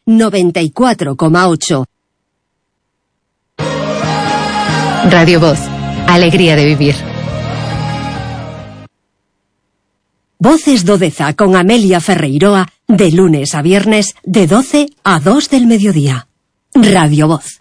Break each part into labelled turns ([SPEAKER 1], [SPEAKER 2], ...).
[SPEAKER 1] 94,8.
[SPEAKER 2] Radio Voz, alegría de vivir.
[SPEAKER 1] Voces do Deza con Amelia Ferreiroa, de lunes a viernes, de 12 a 2 del mediodía. Radio Voz.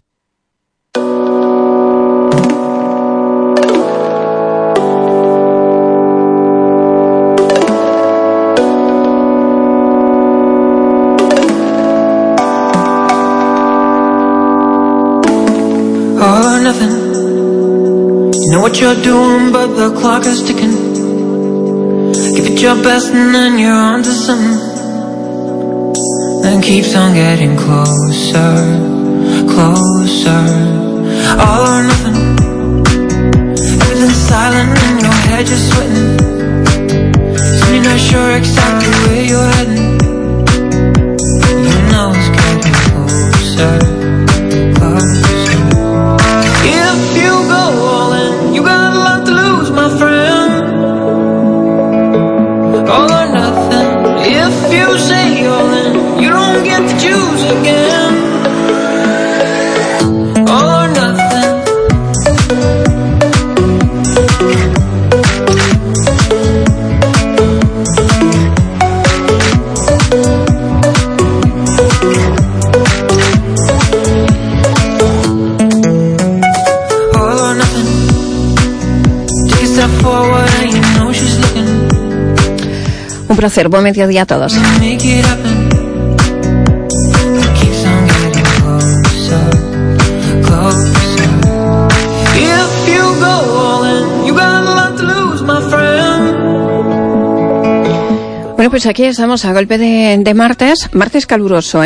[SPEAKER 3] All or nothing. You know what you're doing, but the clock is ticking. Give it your best and then you're on to something. Then keeps on getting closer, closer. All or nothing. Everything's silent in your head, you're sweating. So you're not sure exactly where you're heading. You know it's getting closer, closer. If you go all in, you got a lot to lose, my friend. All or nothing. If you say all in, you don't get to choose again. All or nothing. All or nothing. Take a step forward and you know she's looking.
[SPEAKER 4] Un placer, buen mediodía a todos.
[SPEAKER 3] Make it happen. It keeps on getting closer, closer. If you go all in, you got a lot to lose, my friend.
[SPEAKER 4] Bueno, pues aquí estamos a golpe de martes caluroso,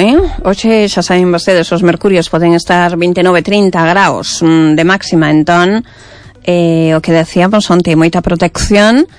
[SPEAKER 4] Hoxe xa saben vostedes, os mercurios poden estar 29-30 graus de máxima, entón o que decíamos onte, moita protección.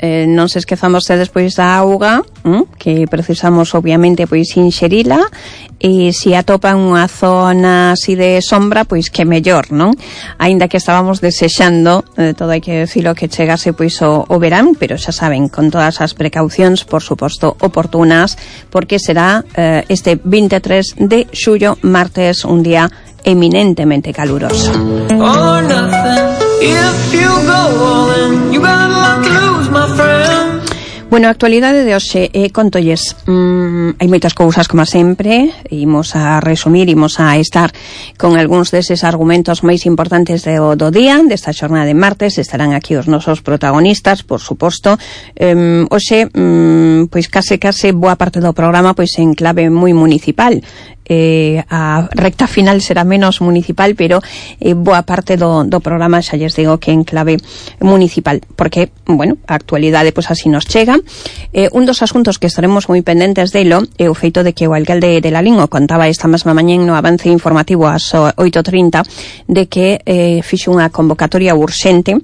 [SPEAKER 4] Non se esquezan vostedes pois da auga, que precisamos obviamente pois inxerila, e se atopan unha zona así de sombra, pois que mellor, non? Aínda que estábamos desexando, todo hai que decirlo, que chegase pois o verán, pero xa saben, con todas as precaucións, por suposto, oportunas, porque será este 23 de xullo, martes, un día eminentemente caluroso.
[SPEAKER 3] All or nothing. If you go all in, you got a lot to lose, my friend.
[SPEAKER 4] Bueno, a actualidade de hoxe, contolles, hai moitas cousas como sempre, imos a resumir, imos a estar con algúns deses argumentos máis importantes do día, desta xornada de martes. Estarán aquí os nosos protagonistas, por suposto. Hoxe, pois case boa parte do programa pois en clave moi municipal. A recta final será menos municipal, pero boa parte do programa xa lles digo que en clave municipal, porque, bueno, a actualidade pois así nos chega. Un dos asuntos que estaremos moi pendentes delo é o feito de que o alcalde de Lalín o contaba esta mesma mañén no avance informativo ás 8:30 de que fixo unha convocatoria urxente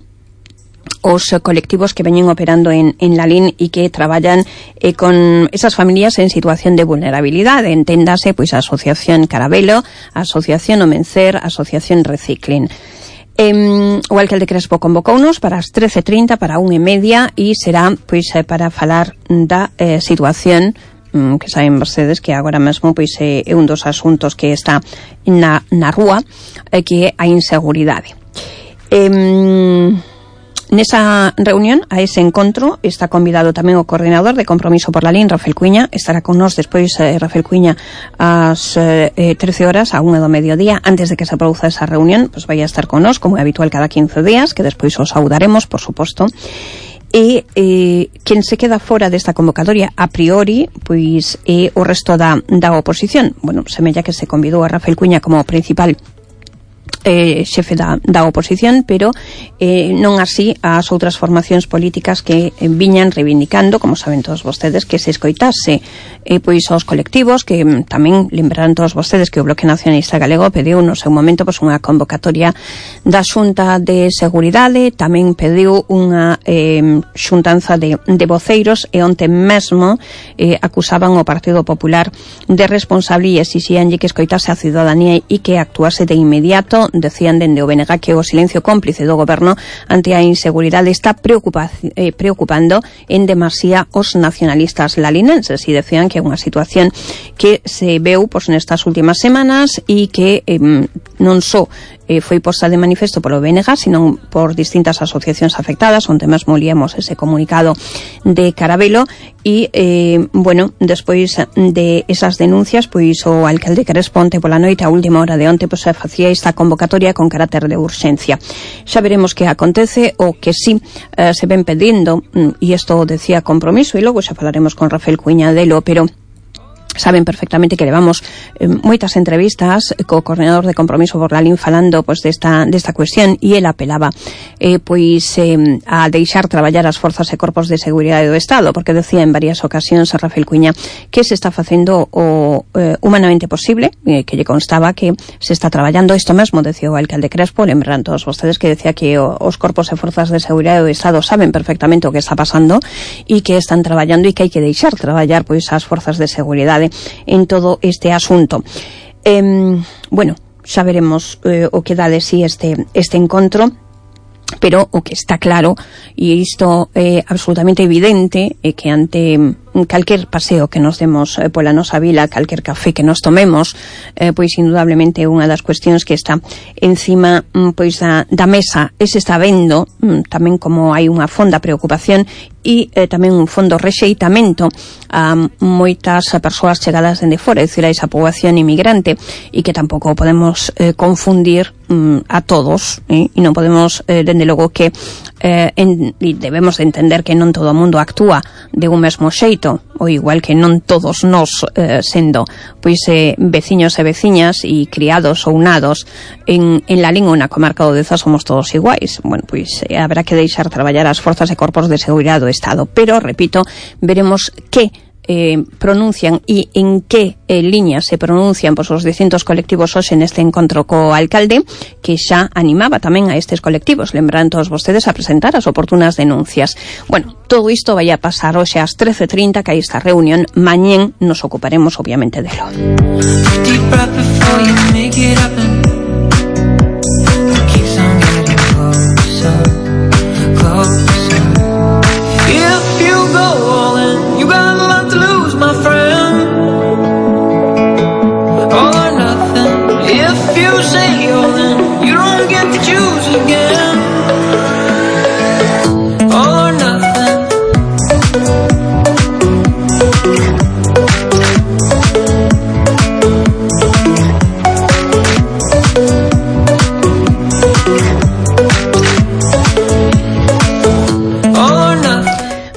[SPEAKER 4] os colectivos que veñen operando en Lalín e que traballan con esas familias en situación de vulnerabilidade. Enténdase, pois, a Asociación Carabelo, a Asociación Omencer, a Asociación Reciclin. O alcalde Crespo convocounos para as 13:30, para 1:30, e será, pois, para falar da situación que saben vostedes que agora mesmo pois é un dos asuntos que está na rúa, que é a inseguridade. Nesa reunión, a ese encontro, está convidado tamén o coordinador de Compromiso por Lalín, Rafael Cuiña. Estará con nós despois Rafael Cuiña ás 13 horas, a 1 do mediodía. Antes de que se produza esa reunión, pues vai a estar con nós, como é habitual, cada 15 días, que despois os saudaremos, por suposto. E quen se queda fora desta convocatoria a priori pois é o resto da oposición. Bueno, semella que se convidou a Rafael Cuiña como principal xefe da oposición, pero non así as outras formacións políticas que viñan reivindicando, como saben todos vostedes, que se escoitase pois aos colectivos, que tamén lembrarán todos vostedes que o Bloque Nacionalista Galego pediu no seu momento pois unha convocatoria da Xunta de Seguridade, tamén pediu unha xuntanza de voceiros, e onte mesmo acusaban o Partido Popular de responsable e exixíanlle que escoitase a ciudadanía e que actuase de inmediato decían dende o BNG que o silencio cómplice do goberno ante a inseguridade está preocupando en demasía os nacionalistas lalinenses, e decían que é unha situación que se veu nestas últimas semanas e que non só foi posta de manifesto polo BNG, sino por distintas asociacións afectadas, onde mesmo liemos ese comunicado de Carabelo. E, despois de esas denuncias, pois o alcalde Crespo onte pola noite, a última hora de onte, pois se facía esta convocatoria con carácter de urxencia. Xa veremos que acontece, o que sí se ven pedindo, e isto decía Compromiso, e logo xa falaremos con Rafael Cuiña delo, pero saben perfectamente que levamos moitas entrevistas co coordinador de Compromiso Borlalín falando desta cuestión, e el apelaba a deixar traballar as forzas e corpos de seguridade do Estado, porque decía en varias ocasións a Rafael Cuiña que se está facendo o humanamente posible, que lle constaba que se está traballando. Isto mesmo decía o alcalde Crespo, lembran todos vostedes que decía que os corpos e forzas de seguridade do Estado saben perfectamente o que está pasando e que están traballando, e que hai que deixar traballar as forzas de seguridade en todo este asunto. Xa veremos o que dá de si este encontro, pero o que está claro, e isto é absolutamente evidente, é que ante calquer paseo que nos demos pola nosa vila, calquer café que nos tomemos, pois indudablemente unha das cuestións que está encima da mesa se está vendo tamén como hai unha fonda preocupación e tamén un fondo rexeitamento a moitas persoas chegadas dende fora, é dicir, a esa poboación inmigrante, e que tampouco podemos confundir a todos, e non podemos, dende logo que e debemos de entender que non todo o mundo actúa de un mesmo xeito, ou igual que non todos nós sendo veciños e veciñas e criados ou nados en Lalín ou na comarca do Deza somos todos iguais. Habrá que deixar traballar as forzas e corpos de seguridade do Estado, pero, repito, veremos que pronuncian e en que liñas se pronuncian os distintos colectivos hoxe neste encontro co alcalde, que xa animaba tamén a estes colectivos, lembran todos vostedes, a presentar as oportunas denuncias. Todo isto vai a pasar hoxe ás 13:30, que hai esta reunión. Mañén nos ocuparemos obviamente delo.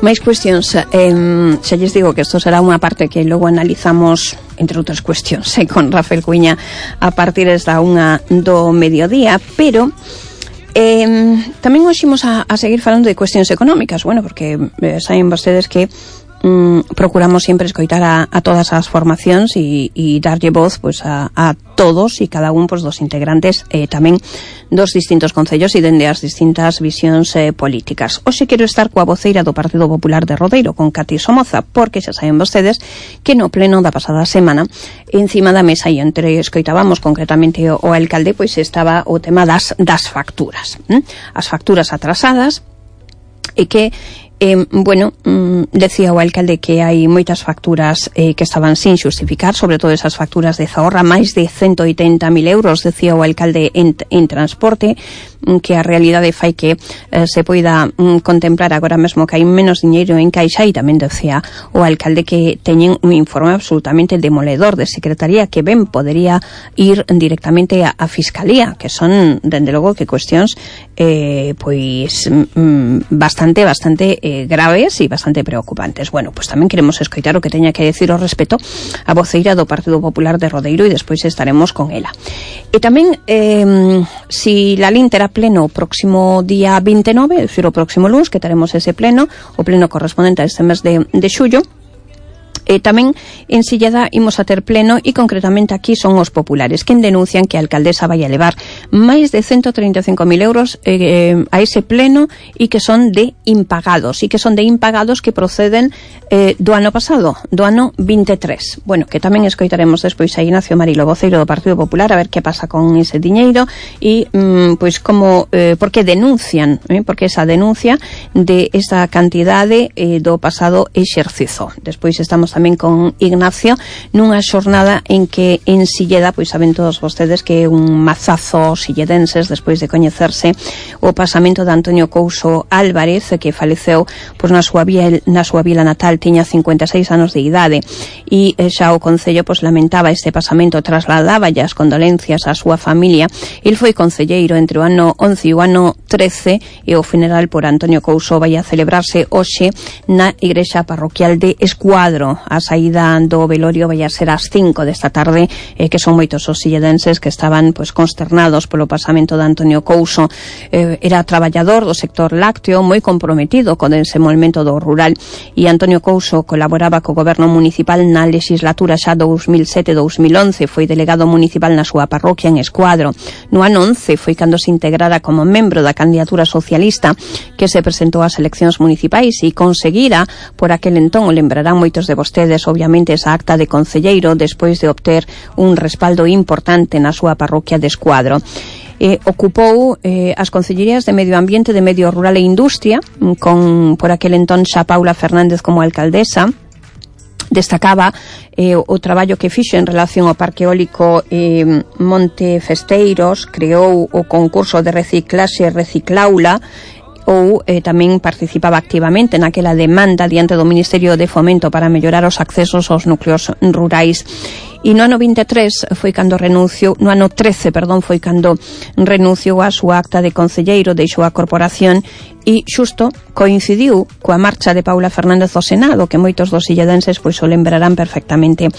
[SPEAKER 4] Máis cuestións, xa lles digo que isto será unha parte que logo analizamos, entre outras cuestións, con Rafael Cuiña a partir da 1 do mediodía, pero tamén hoxe imos a seguir falando de cuestións económicas, porque saben vostedes que procuramos sempre escoitar a todas as formacións e darlle voz a todos e cada un dos integrantes tamén dos distintos concellos e dende as distintas visións políticas. Hoxe quero estar coa voceira do Partido Popular de Rodeiro, con Cati Somoza, porque xa saben vostedes que no pleno da pasada semana, encima da mesa e entre escoitábamos concretamente o alcalde, estaba o tema das facturas, as facturas atrasadas, e que decía o alcalde que hai moitas facturas que estaban sin xustificar, sobre todo esas facturas de Zahorra, máis de 180.000 euros, decía o alcalde en transporte, que a realidade fai que se poida contemplar agora mesmo que hai menos diñeiro en caixa, e tamén decía o alcalde que teñen un informe absolutamente demoledor de Secretaría que ben podería ir directamente a Fiscalía, que son, dende logo, que cuestións bastante graves e bastante preocupantes. Tamén queremos escoitar o que teña que decir ao respecto a voceira do Partido Popular de Rodeiro, e despois estaremos con ela. E tamén, si Lalín terá pleno o próximo día 29, é dicir, o próximo lunes, que teremos ese pleno, o pleno correspondente a este mes de xullo, Tamén en Silleda imos a ter pleno e concretamente aquí son os populares quen denuncian que a alcaldesa vai a levar máis de 135.000 euros a ese pleno e que son de impagados que proceden do ano pasado, do ano 23. Bueno, que tamén escoitaremos despois a Ignacio Marilo, voceiro do Partido Popular, a ver que pasa con ese diñeiro e pois como porque denuncian, porque esa denuncia de esa cantidade do pasado exercizo. Despois estamos tamén con Ignacio nunha xornada en que en Silleda, pois saben todos vostedes que é un mazazo silledenses despois de coñecerse o pasamento de Antonio Couso Álvarez, que faleceu pois na súa vila natal, tiña 56 anos de idade e xa o Concello pois lamentaba este pasamento, trasladaba as condolencias á súa familia. El foi concelleiro entre o ano 11 e o ano 13 e o funeral por Antonio Couso vai a celebrarse hoxe na igrexa parroquial de Escuadro. A saída do velorio vai a ser ás 5 desta tarde, que son moitos os silledenses que estaban pois consternados polo pasamento de Antonio Couso. Era traballador do sector lácteo, moi comprometido con ese movimento do rural, e Antonio Couso colaboraba co goberno municipal na legislatura xa 2007-2011, foi delegado municipal na súa parroquia en Escuadro. No ano 11 foi cando se integrara como membro da candidatura socialista que se presentou ás eleccións municipais e conseguira por aquel entón, o lembrarán moitos de vostedes, obviamente, esa acta de concelleiro despois de obter un respaldo importante na súa parroquia de Escuadro. Ocupou as concellerías de Medio Ambiente, de Medio Rural e Industria, con por aquel entón xa Paula Fernández como alcaldesa. Destacaba o traballo que fixo en relación ao parque eólico Monte Festeiros, creou o concurso de reciclaxe Reciclaula, ou tamén participaba activamente naquela demanda diante do Ministerio de Fomento para mellorar os accesos aos núcleos rurais. E no ano 23 foi cando renunciou, no ano 13, perdón, foi cando renunciou a súa acta de concelleiro, deixou a corporación e xusto coincidiu coa marcha de Paula Fernández ao Senado, que moitos dos silledenses pois o lembrarán perfectamente.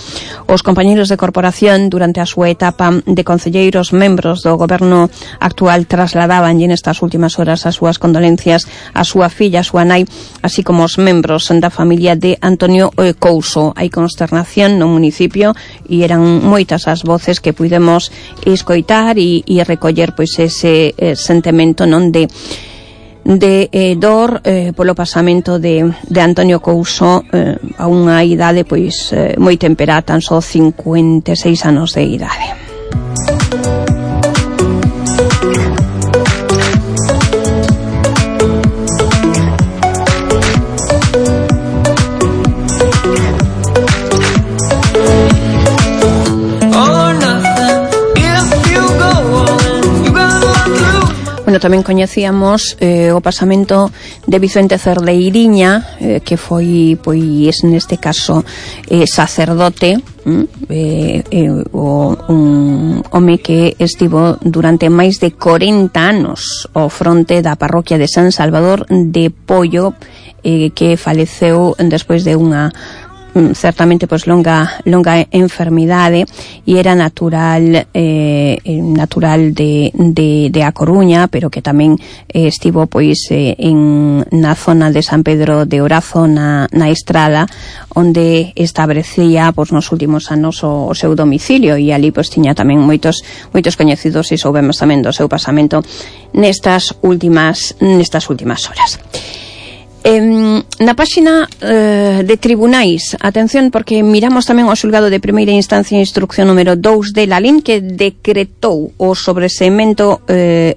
[SPEAKER 4] Os compañeiros de corporación durante a súa etapa de concelleiros membros do goberno actual trasladaban nestas últimas horas as súas condolencias a súa filla, a súa nai, así como os membros da familia de Antonio Couso. Hai consternación no municipio e eran moitas as voces que puidemos escoitar e recoller pois ese sentimento non de dor polo pasamento de Antonio Couso a unha idade pois moi temperada, tan só 56 anos de idade. Bueno, tamén coñecíamos o pasamento de Vicente Cerdeiriña, que foi, pois, neste caso, sacerdote, un home que estivo durante máis de 40 anos ao fronte da parroquia de San Salvador de Pollo, que faleceu despois de unha certamente pois longa enfermidade e era natural de A Coruña, pero que tamén estivo pois na zona de San Pedro de Orazo na Estrada, onde establecía pois nos últimos anos o seu domicilio, e ali pois tiña tamén moitos coñecidos e soubemos tamén do seu pasamento nestas últimas horas. Na páxina de tribunais, atención, porque miramos tamén o xulgado de primeira instancia instrucción número 2 de Lalín, que decretou o sobreseemento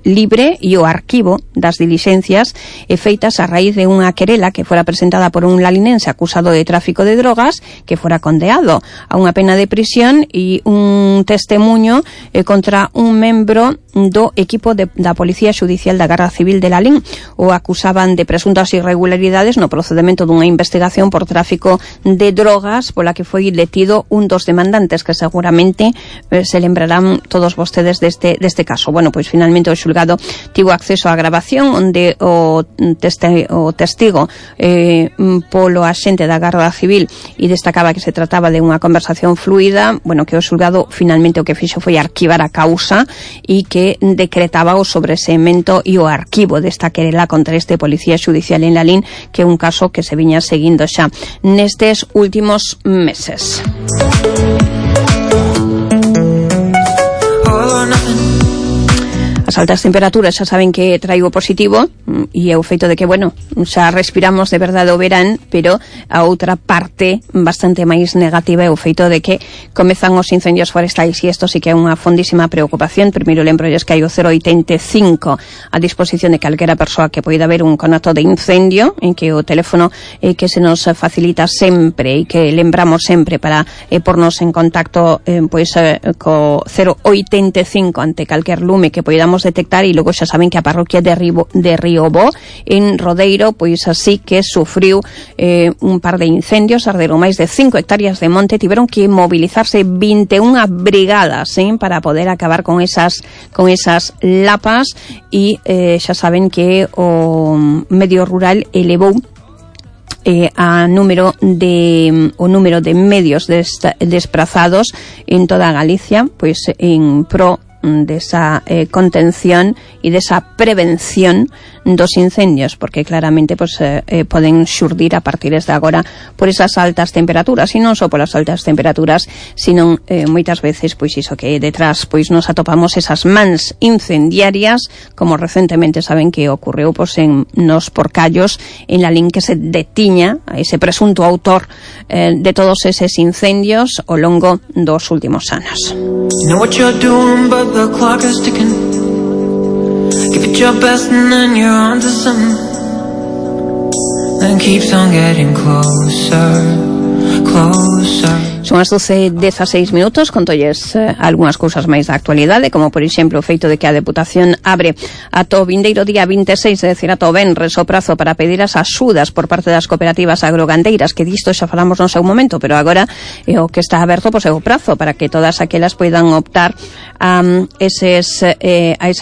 [SPEAKER 4] libre e o arquivo das dilixencias feitas a raíz de unha querela que fora presentada por un lalinense acusado de tráfico de drogas, que fora condeado a unha pena de prisión, e un testemunho contra un membro do equipo da Policía Xudicial da Garda Civil de Lalín. O acusaban de presuntas irregularidades no procedemento dunha investigación por tráfico de drogas pola que foi detido un dos demandantes, que seguramente se lembrarán todos vostedes deste caso. Bueno, pois finalmente o xulgado tivo acceso á grabación onde o testigo polo axente da Garda Civil e destacaba que se trataba de unha conversación fluida. Bueno, que o xulgado finalmente o que fixo foi arquivar a causa e que decretaba o sobreseemento e o arquivo desta querela contra este policía xudicial en Lalín que é un caso que se viña seguindo xa nestes últimos meses. As altas temperaturas xa saben que traigo positivo e é o feito de que, bueno, xa respiramos de verdade o verán, pero a outra parte bastante máis negativa é o feito de que comezan os incendios forestais e isto sí que é unha fondísima preocupación. Primeiro lembrolles que hai o 085 a disposición de calquera persoa que poida haber un conato de incendio, en que o teléfono que se nos facilita sempre e que lembramos sempre para pornos en contacto co 085 ante calquer lume que poidamos detectar. E logo xa saben que a parroquia de Riobó en Rodeiro pois así que sufriu un par de incendios, arderon máis de 5 hectáreas de monte, tiveron que mobilizarse 21 brigadas para poder acabar con esas lapas e xa saben que o medio rural elevou o número de medios desplazados en toda Galicia, pois en pro desa contención e desa prevención dos incendios, porque claramente poden xurdir a partir de agora por esas altas temperaturas, e non só polas altas temperaturas, sino moitas veces pois iso que detrás pois nos atopamos esas mans incendiarias, como recentemente saben que ocorreu nos Porcallos, en Lalín, que se detiña a ese presunto autor de todos eses incendios ao longo dos últimos anos.
[SPEAKER 3] You know what you're doing, but the clock is ticking. Give it your best and then you're on to something. Then keeps on getting closer, closer.
[SPEAKER 4] Son as 12:16 minutos, contolles algunhas cousas máis da actualidade, como por exemplo o feito de que a Deputación abre ata o vindeiro día 26, é dicir, ata o venres, o prazo para pedir as axudas por parte das cooperativas agrogandeiras, que disto xa falamos no seu momento, pero agora o que está aberto é o prazo para que todas aquelas poidan optar a esas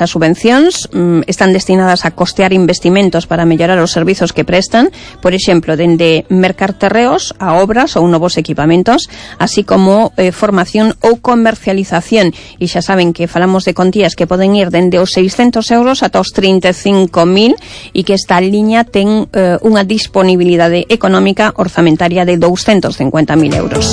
[SPEAKER 4] subvencións. Están destinadas a costear investimentos para mellorar os servizos que prestan, por exemplo, dende mercar terreos a obras ou novos equipamentos, así como formación ou comercialización. E xa saben que falamos de contías que poden ir dende os 600 euros ata os 35.000 e que esta liña ten unha disponibilidade económica orzamentaria de 250.000 euros.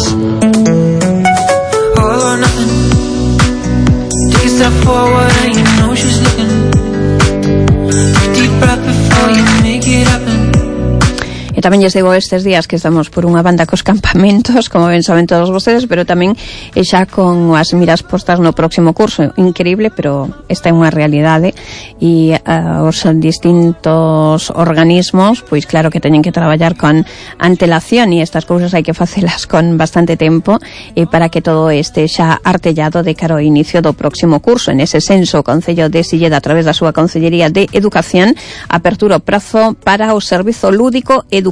[SPEAKER 4] E tamén lles digo estes días que estamos por unha banda cos campamentos, como ben saben todos vostedes, pero tamén xa con as miras postas no próximo curso. Increíble, pero esta é unha realidade e os distintos organismos, pois claro que teñen que traballar con antelación e estas cousas hai que facelas con bastante tempo para que todo este xa artellado de cara ao inicio do próximo curso. En ese senso, o Concello de Silleda, a través da súa Consellería de Educación, apertura o prazo para o servizo lúdico educativo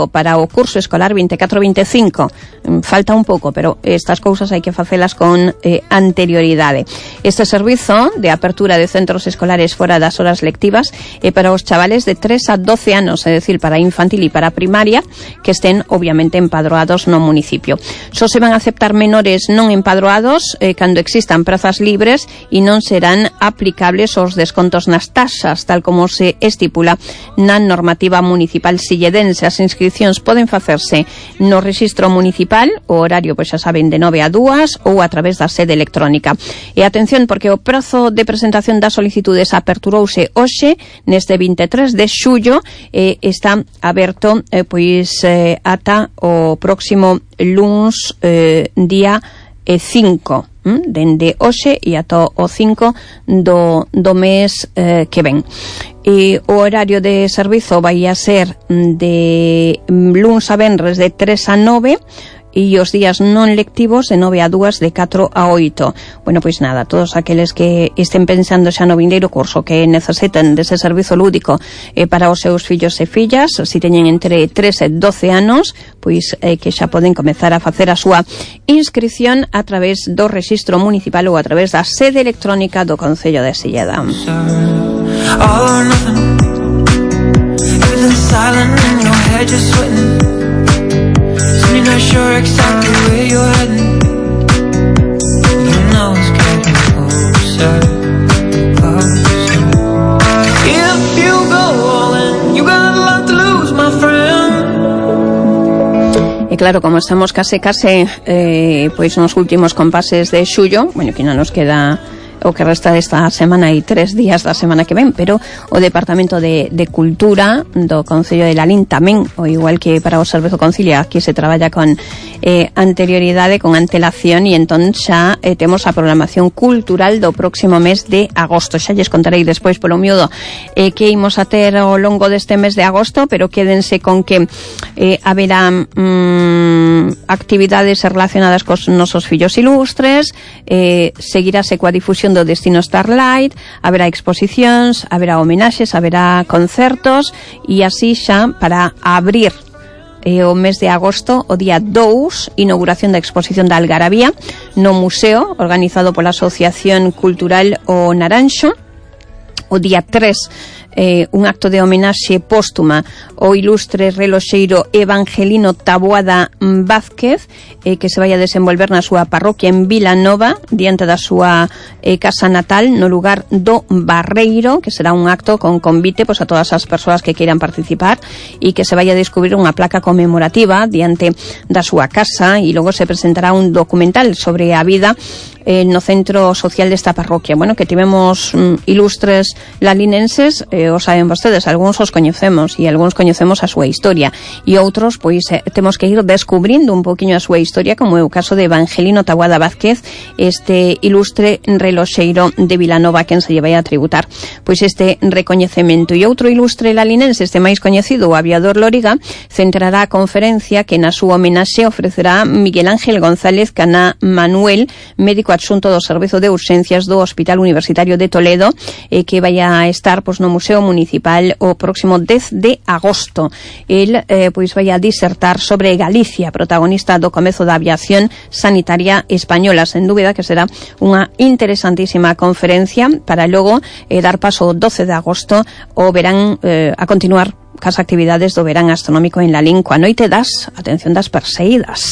[SPEAKER 4] para o curso escolar 24-25. Falta un pouco, pero estas cousas hai que facelas con anterioridade. Este servizo de apertura de centros escolares fora das horas lectivas é para os chavales de 3 a 12 anos, é dicir, para infantil e para primaria, que estén obviamente empadroados no municipio. Só se van a aceptar menores non empadroados cando existan prazas libres e non serán aplicables os descontos nas taxas, tal como se estipula na normativa municipal silledense. As inscripcións poden facerse no rexistro municipal, o horario, pois xa saben, de 9 a 2 ou a través da sede electrónica. E atención, porque o prazo de presentación das solicitudes aperturouse hoxe, neste 23 de xullo, está aberto ata o próximo luns día 5, dende hoxe e ata o 5 do mes que ven. E o horario de servizo vai a ser de luns a venres de 3 a 9 e os días non lectivos de 9 a 2, de 4 a 8. Bueno, pois nada, todos aqueles que estén pensando xa no vindeiro curso, que necesiten dese servizo lúdico para os seus fillos e fillas, se teñen entre 3 e 12 anos, pois que xa poden comezar a facer a súa inscripción a través do rexistro municipal ou a través da sede electrónica do Concello de Silleda. You're not sure exactly where you're heading. You know it's getting closer, closer. If you go all in, you got a lot to lose, my E claro, como estamos case pois nos últimos compases de xullo, bueno, que non nos queda o que resta desta semana e 3 días da semana que ven, pero o Departamento de Cultura do Concello de Lalín tamén, o igual que para o Servizo Concilia, aquí se traballa con anterioridade, con antelación, e entón xa temos a programación cultural do próximo mes de agosto. Xa lles contarei despois polo miúdo que imos a ter ao longo deste mes de agosto, pero quédense con que haberá actividades relacionadas cos nosos fillos ilustres, seguirase coa difusión do Destino Starlight, haberá exposicións, haberá homenaxes, haberá concertos, e así xa para abrir o mes de agosto, o día 2, inauguración da exposición da Algarabía no museo, organizado pola Asociación Cultural O Naranxo. O día 3, un acto de homenaxe póstuma ao ilustre reloxeiro Evangelino Taboada Vázquez, que se vai a desenvolver na súa parroquia en Vilanova, diante da súa casa natal, no lugar do Barreiro, que será un acto con convite pois a todas as persoas que queiran participar, e que se vai a descubrir unha placa conmemorativa diante da súa casa, e logo se presentará un documental sobre a vida no centro social desta parroquia. Bueno, que tivemos ilustres lalinenses, o saben vostedes, algúns os coñecemos e algúns coñecemos a súa historia, e outros, pois, temos que ir descubrindo un poquinho a súa historia, como é o caso de Evangelino Taboada Vázquez, este ilustre reloxeiro de Vilanova, quen se lle vai a tributar pois este recoñecemento. E outro ilustre lalinense, este máis coñecido, o aviador Lóriga, centrará a conferencia que na súa homenaxe ofrecerá Miguel Ángel González Caná Manuel, médico adxunto do Servizo de Urxencias do Hospital Universitario de Toledo, que vai a estar pois no Museo Municipal o próximo 10 de agosto. El pois vai a disertar sobre Galicia, protagonista do comezo da aviación sanitaria española. Sen dúbida que será unha interesantísima conferencia para logo dar paso o 12 de agosto o verán a continuar cas actividades do verán astronómico en Lalín coa noite das, atención, das Perseidas.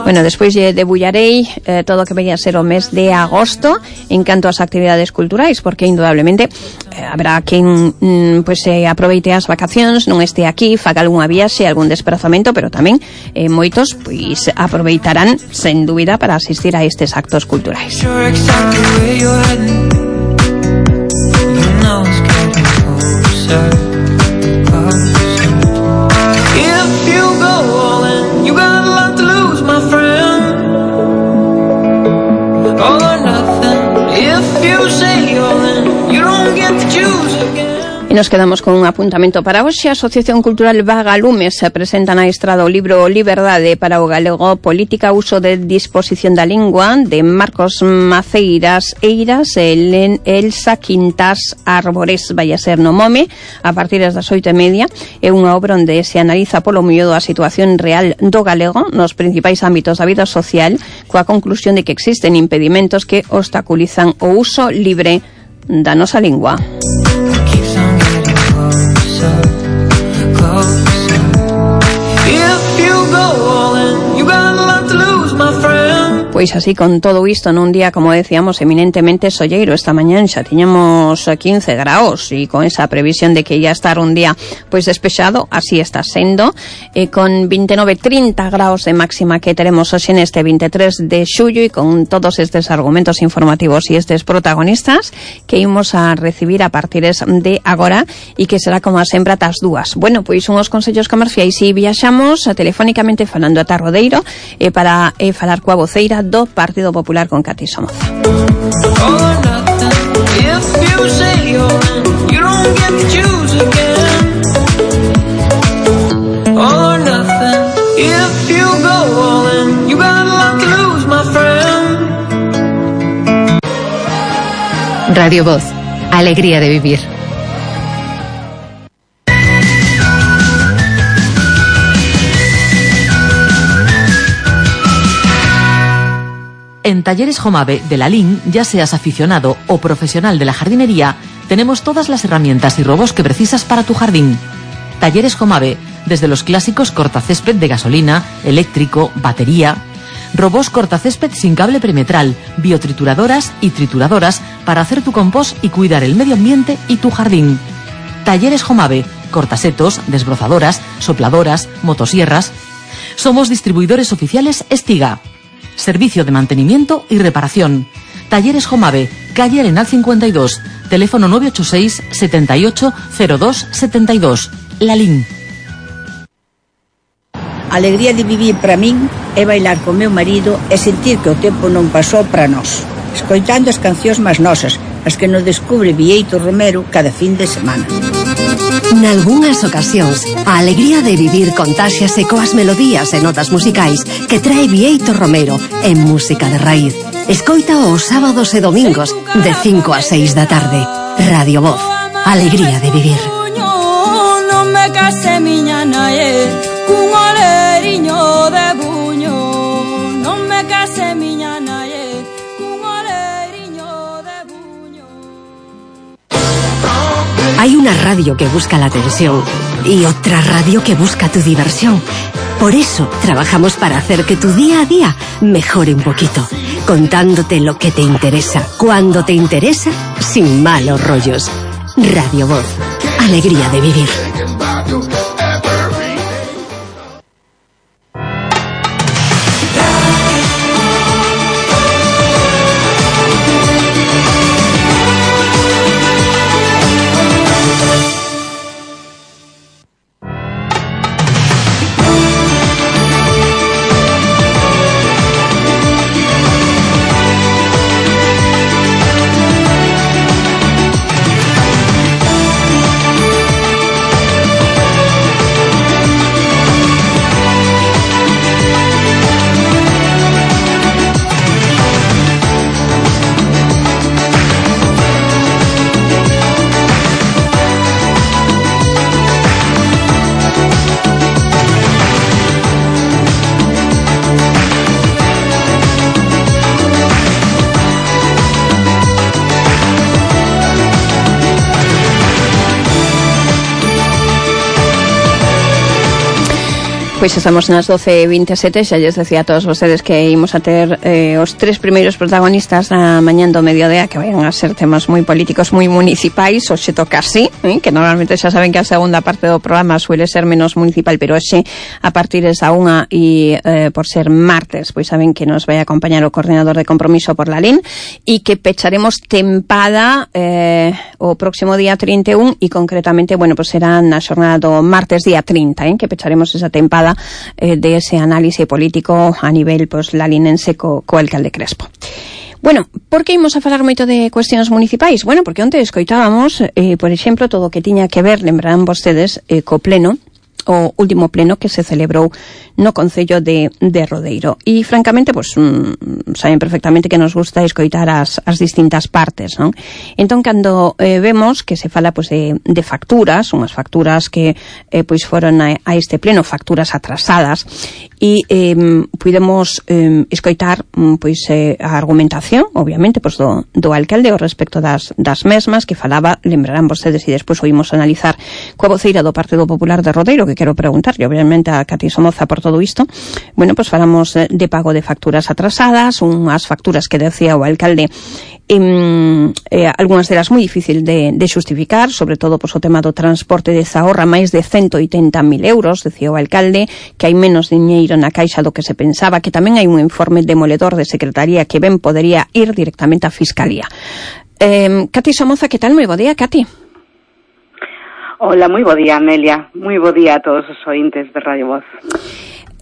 [SPEAKER 4] Bueno, despois lle debullarei todo o que vai a ser o mes de agosto en canto ás actividades culturais, porque indudablemente habrá quen pois aproveite as vacacións, non este aquí, faga algunha viaxe, algún desplazamento, pero tamén moitos pois aproveitarán sen dúbida para asistir a estes actos culturais. If you go all in, you got a lot to lose, my friend. All or nothing. If you say all in, you don't get to choose again. E nos quedamos con un apuntamento para hoxe. A Asociación Cultural Vagalumes se presenta na Estrada o libro Liberdade para o Galego, Política, Uso de Disposición da Lingua, de Marcos Maceiras Eiras e Elsa Quintas Árbores. Vai a ser no Mome a partir das 8:30. É unha obra onde se analiza polo miúdo a situación real do galego nos principais ámbitos da vida social, coa conclusión de que existen impedimentos que obstaculizan o uso libre da nosa lingua. Pois así, con todo isto, nun día, como decíamos, eminentemente solleiro. Esta mañán xa tiñamos 15 graus e con esa previsión de que ia estar un día pois despexado, así está sendo, con 29-30 graus de máxima que teremos hoxe neste 23 de xullo, e con todos estes argumentos informativos e estes protagonistas que imos a recibir a partir de agora, e que será como a sempre ata as 2. Bueno, pois unhos consellos comerciais e viaxamos telefónicamente falando ata Rodeiro para falar coa voceira do Partido Popular, con Cati Somoza.
[SPEAKER 2] Radio Voz, alegría de vivir.
[SPEAKER 5] En Talleres Jomave de Lalín, ya seas aficionado o profesional de la jardinería, tenemos todas las herramientas y robos que precisas para tu jardín. Talleres Jomave, desde los clásicos cortacésped de gasolina, eléctrico, batería, robos cortacésped sin cable perimetral, biotrituradoras y trituradoras para hacer tu compost y cuidar el medio ambiente y tu jardín. Talleres Jomave, cortasetos, desbrozadoras, sopladoras, motosierras. Somos distribuidores oficiales Estiga. Servicio de mantenimiento y reparación. Talleres Jomave, calle Arenal 52, teléfono 986 78 02 72. Lalín.
[SPEAKER 6] A alegría de vivir para min é bailar con meu marido e sentir que o tempo non pasou para nós, escoitando as cancións máis nosas, as que nos descubre Bieito Romero cada fin de semana.
[SPEAKER 1] Nalgúnas ocasións, a alegría de vivir contáxiase coas melodías e notas musicais que trae Bieito Romero en Música de Raíz. Escoita os sábados e domingos de 5 a 6 da tarde. Radio Voz, alegría de vivir.
[SPEAKER 7] Non me case miña nae cun oleriño de buño. Non me case miña nae cun oleriño de buño.
[SPEAKER 1] Hay una radio que busca la atención y otra radio que busca tu diversión. Por eso trabajamos para hacer que tu día a día mejore un poquito, contándote lo que te interesa, cuando te interesa, sin malos rollos. Radio Voz, alegría de vivir.
[SPEAKER 4] Pois estamos nas 12:27, xa lles decía a todos vostedes que ímos a ter os tres primeiros protagonistas na mañán do mediodía, que vayan a ser temas moi políticos, moi municipais. Hoxe toca así, que normalmente xa saben que a segunda parte do programa suele ser menos municipal, pero hoxe a partir desa 1 e por ser martes, pois saben que nos vai acompañar o coordinador de compromiso por Lalín e que pecharemos tempada o próximo día 31 e concretamente, bueno, pois será na xornada do martes día 30, que pecharemos esa tempada de ese análisis político a nivel pues lalinense co alcalde Crespo. Bueno, por que imos a falar moito de cuestións municipais? Bueno, porque onte escoitábamos, por exemplo, todo o que tiña que ver, lembrarán vostedes, co pleno, o último pleno que se celebrou no Concello de Rodeiro. E, francamente, pues, saben perfectamente que nos gusta escoitar as distintas partes, non? Entón, cando vemos que se fala pues, de facturas, unhas facturas que pois foron a este pleno, facturas atrasadas, e pudemos escoitar pois a argumentación, obviamente, pues, do alcalde ao respecto das mesmas, que falaba, lembrarán vostedes, e despois oímos analizar coa voceira do Partido Popular de Rodeiro, que quero preguntarlle, obviamente, a Cati Somoza por todo isto. Bueno, pues falamos de pago de facturas atrasadas, unhas facturas que decía o alcalde algunhas delas moi difícil de xustificar, sobre todo pues, o tema do transporte de Zahorra, máis de 180.000 euros, decía o alcalde, que hai menos diñeiro na caixa do que se pensaba, que tamén hai un informe demoledor de Secretaría que ben podería ir directamente á Fiscalía. Cati Somoza, que tal? Moi bo día, Cati.
[SPEAKER 8] Hola, moi bo día, Amelia. Moi bo día a todos os ointes de Radio Voz.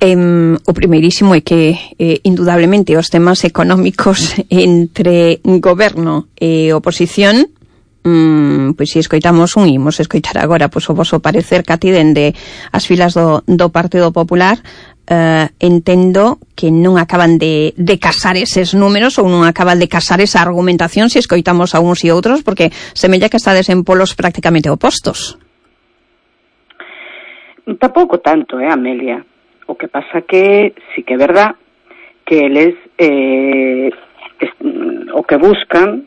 [SPEAKER 4] O primeirísimo é que, indudablemente, os temas económicos entre goberno e oposición, pois se escoitamos imos escoitar agora pois, o voso parecer, Cati, dende as filas do Partido Popular. Entendo que non acaban de casar eses números ou non acaban de casar esa argumentación se escoitamos a uns e outros, porque semella que estades en polos prácticamente opostos.
[SPEAKER 8] Tampouco tanto, Amelia. O que pasa que sí que é verdad que eles o que buscan,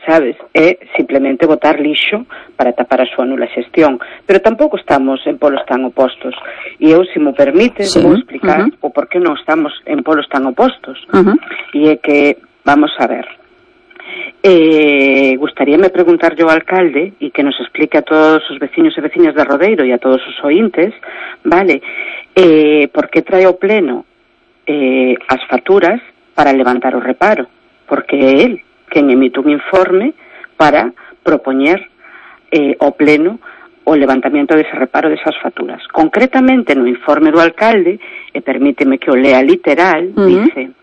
[SPEAKER 8] sabes, é simplemente botar lixo para tapar a súa nula xestión, pero tampouco estamos en polos tan opostos, e eu, se mo permite, sí, vou explicar o por que non estamos en polos tan opostos. E é que, vamos a ver, Gustaríame preguntarlle ao alcalde e que nos explique a todos os veciños e veciñas de Rodeiro e a todos os ointes, vale, por que trae ao pleno as facturas para levantar o reparo, porque é el quen emite un informe para propoñer ao pleno o levantamento dese reparo desas facturas. Concretamente no informe do alcalde, e permíteme que o lea literal, dice: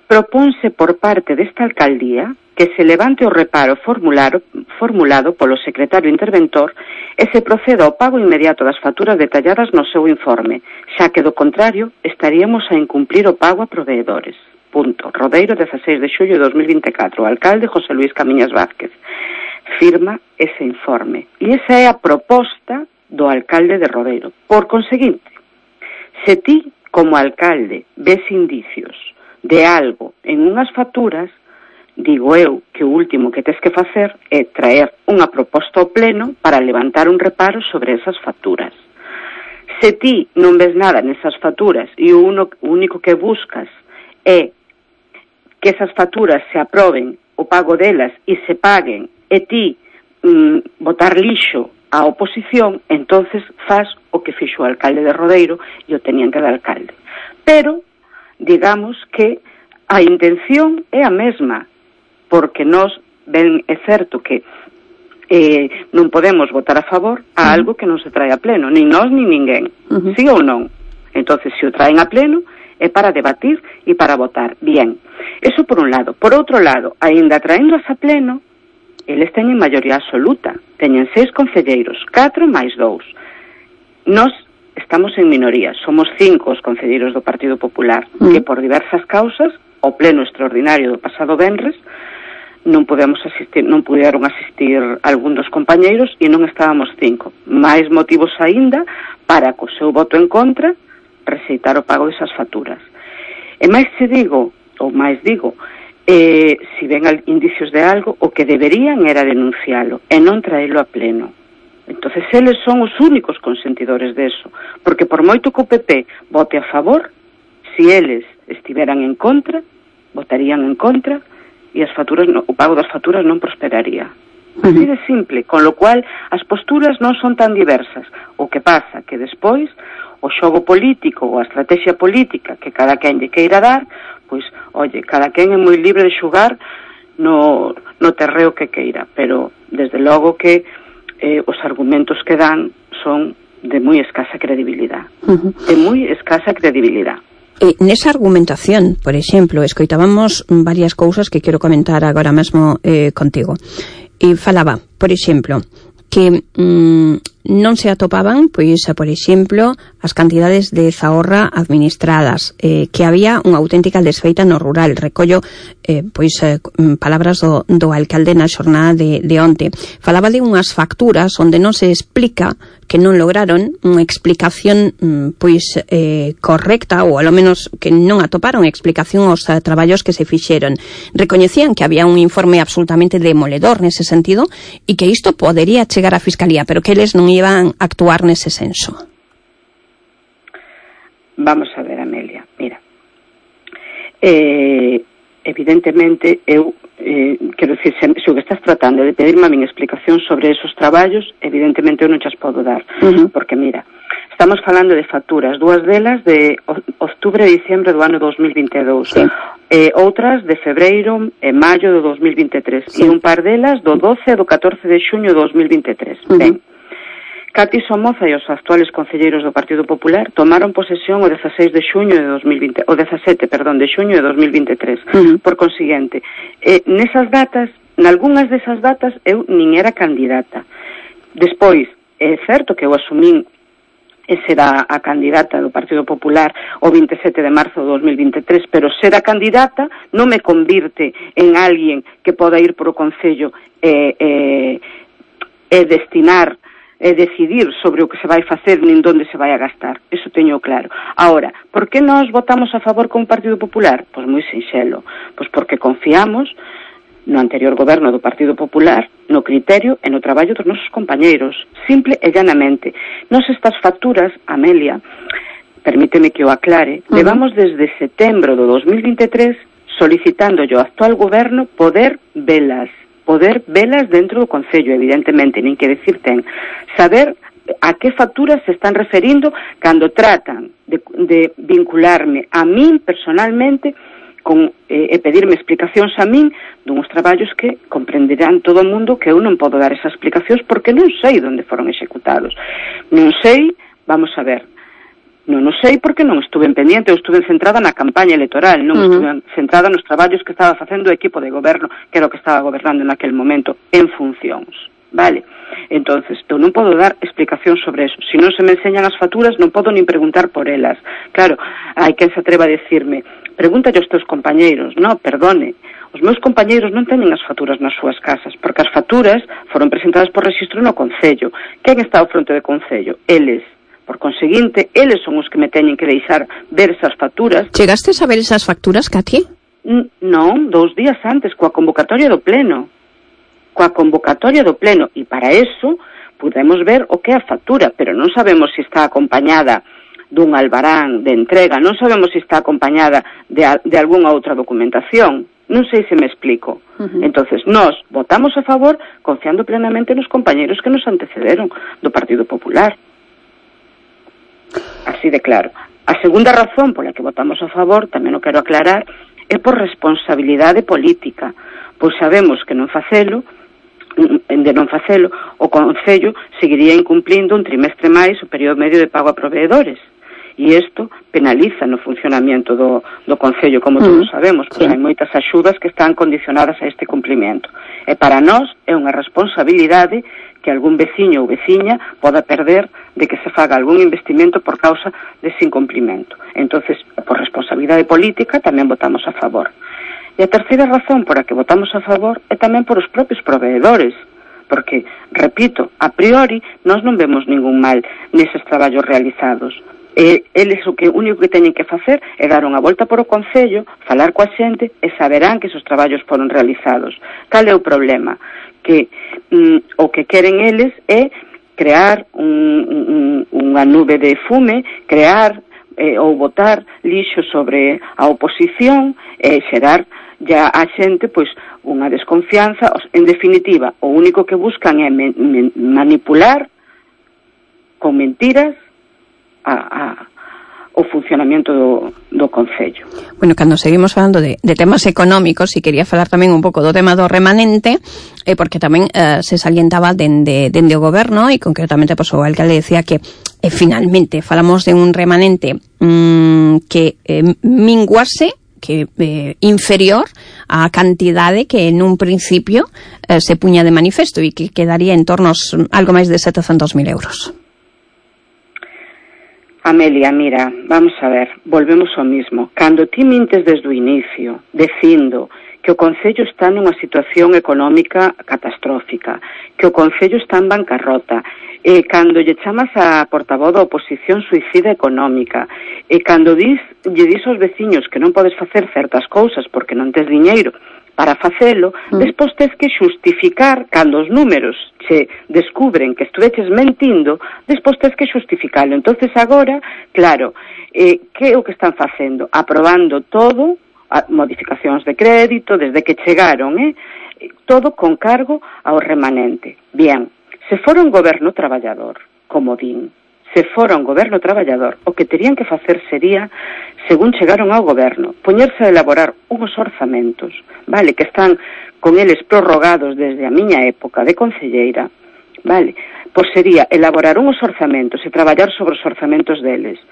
[SPEAKER 8] propónse por parte desta alcaldía que se levante o reparo formulado polo secretario interventor e se proceda ao pago inmediato das facturas detalladas no seu informe, xa que do contrario estaríamos a incumplir o pago a proveedores. Punto. Rodeiro, 16 de xullo de 2024. O alcalde José Luis Camiñas Vázquez firma ese informe. E esa é a proposta do alcalde de Rodeiro. Por conseguinte, se ti, como alcalde, ves indicios de algo en unhas facturas, digo eu que o último que tes que facer é traer unha proposta ao pleno para levantar un reparo sobre esas facturas. Se ti non ves nada nesas facturas e o único que buscas é que esas facturas se aproben, o pago delas e se paguen, e ti botar lixo á oposición, entonces faz o que fixo o alcalde de Rodeiro e o tenían que dar alcalde. Pero, digamos que a intención é a mesma, porque nós, ben, é certo que non podemos votar a favor a algo que non se trae a pleno, nin nós nin ninguén, sí ou non. Entonces, se o traen a pleno, é para debatir e para votar. Bien, eso por un lado. Por outro lado, aínda traéndoas a pleno, eles teñen maioría absoluta, teñen 6 concelleiros, 4 máis 2. Nós estamos en minoría, somos 5 os concelleiros do Partido Popular, que por diversas causas, o pleno extraordinario do pasado venres, non puderon asistir algún dos compañeiros e non estábamos 5. Máis motivos aínda para, co seu voto en contra, rexeitar o pago desas facturas. E máis digo, si ven indicios de algo, o que deberían era denuncialo e non traelo a pleno. Entonces eles son os únicos consentidores deso, porque por moito que o PP vote a favor, si eles estiveran en contra, votarían en contra e as facturas, o pago das facturas non prosperaría. Así de simple, con lo cual as posturas non son tan diversas. O que pasa que despois o xogo político ou a estrategia política que cada quen lle queira dar, pois, oye, cada quen é moi libre de xugar no terreo que queira, pero desde logo que os argumentos que dan son de moi escasa credibilidade. De moi escasa credibilidade.
[SPEAKER 4] Nesa argumentación, por exemplo, escoitábamos varias cousas que quero comentar agora mesmo contigo. E falaba, por exemplo, que non se atopaban, pois, por exemplo, as cantidades de zahorra administradas, que había unha auténtica desfeita no rural. Recollo, palabras do alcalde na xornada de onte. Falaba de unhas facturas onde non se explica, que non lograron unha explicación correcta, ou ao menos que non atoparon explicación aos traballos que se fixeron. Recoñecían que había un informe absolutamente demoledor nese sentido e que isto podería chegar á Fiscalía, pero que eles non iban a actuar nese senso.
[SPEAKER 8] Vamos a ver, Amelia, mira, evidentemente eu quero dicir, se o que estás tratando de pedirme a min explicación sobre esos traballos, evidentemente eu non chas podo dar, porque mira, estamos falando de facturas, dúas delas de outubro e diciembre do ano 2022, sí. Outras de febreiro e maio do 2023, sí. E un par delas do 12 e do 14 de xuño do 2023. Ben, Cati Somoza e os actuales concelleiros do Partido Popular tomaron posesión o 16 de xuño de 2020, o 17, perdón, de xuño de 2023. Por consiguiente, nesas datas, nalgúnas desas datas eu nin era candidata. Despois, é certo que eu asumín ser a candidata do Partido Popular o 27 de marzo de 2023, pero ser a candidata non me convirte en alguén que poda ir por o Concello e destinar e decidir sobre o que se vai facer nin onde se vai a gastar. Eso teño claro. Ahora, por que nós votamos a favor con o Partido Popular? Pois moi sinxelo. Pois porque confiamos no anterior goberno do Partido Popular, no criterio e no traballo dos nosos compañeiros. Simple e llanamente. Nos estas facturas, Amelia, permíteme que o aclare, levamos desde setembro do 2023 solicitando ao actual goberno poder velas dentro do Concello, evidentemente, nin que decir ten, saber a que facturas se están referindo cando tratan de vincularme a min personalmente e pedirme explicacións a min duns traballos que comprenderán todo o mundo que eu non podo dar esas explicacións porque non sei onde foron executados. Non sei, vamos a ver, non o sei porque non estuve pendiente, eu estuve centrada na campaña electoral, non estuve centrada nos traballos que estaba facendo o equipo de goberno, que era o que estaba gobernando naquel momento, en funcións, vale? Entonces, eu non podo dar explicación sobre eso. Se non se me enseñan as facturas, non podo nin preguntar por elas. Claro, hai quen se atreva a decirme, pregúntalle aos teus compañeiros. No, perdone, os meus compañeiros non teñen as facturas nas súas casas, porque as facturas foron presentadas por rexistro no Concello. Quen está ao fronte do Concello? Eles. Por conseguinte, eles son os que me teñen que deixar ver esas facturas.
[SPEAKER 4] Chegastes a ver esas facturas, Katy?
[SPEAKER 8] Non, 2 días antes, coa convocatoria do Pleno. E para eso podemos ver o que é a factura, pero non sabemos se está acompañada dun albarán de entrega, non sabemos se está acompañada de algunha outra documentación. Non sei se me explico. Entonces, nós votamos a favor confiando plenamente nos compañeros que nos antecederon do Partido Popular. Así de claro. A segunda razón pola que votamos a favor, tamén o quero aclarar, é por responsabilidade política, pois sabemos que de non facelo, o Concello seguiría incumplindo un trimestre máis o período medio de pago a proveedores. E isto penaliza no funcionamento do Concello, como todos sabemos, pois hai moitas axudas que están condicionadas a este cumplimento. E para nós é unha responsabilidade que algún veciño ou veciña poda perder de que se faga algún investimento por causa dese incumplimento. Entonces, por responsabilidade política, tamén votamos a favor. E a terceira razón por a que votamos a favor é tamén por os propios proveedores, porque, repito, a priori, nós non vemos ningún mal neses traballos realizados. Eles o único que teñen que facer é dar unha volta por o Concello, falar coa xente e saberán que esos traballos foron realizados. Cal é o problema? Que o que queren eles é crear unha nube de fume, crear ou botar lixo sobre a oposición e xerar ya a xente pois unha desconfianza. En definitiva, o único que buscan é manipular con mentiras o funcionamento do Concello.
[SPEAKER 4] Bueno, cando seguimos falando de temas económicos, e quería falar tamén un pouco do tema do remanente, porque tamén se salientaba dende o goberno, e concretamente o alcalde decía que finalmente falamos de un remanente que minguase, que inferior á cantidade que en un principio se puña de manifesto e que quedaría en torno algo máis de 700.000 euros.
[SPEAKER 8] Amelia, mira, vamos a ver, volvemos ao mismo. Cando ti mintes desde o inicio, dicindo que o Concello está nunha situación económica catastrófica, que o Concello está en bancarrota, e cando lle chamas a portavoz da oposición suicida económica, e cando lle dis aos veciños que non podes facer certas cousas porque non tes diñeiro para facelo, despois tes que xustificar, cando os números se descubren que estuveches mentindo, despois tes que xustificalo. Entonces agora, claro, que é o que están facendo? Aprobando todo, modificacións de crédito, desde que chegaron, todo con cargo ao remanente. Bien, se fora un goberno traballador, como din, se fora un goberno traballador, o que terían que facer sería, según chegaron ao goberno, poñerse a elaborar uns orzamentos, vale, que están con eles prorrogados desde a miña época de concelleira, vale, pois sería elaborar uns orzamentos e traballar sobre os orzamentos deles.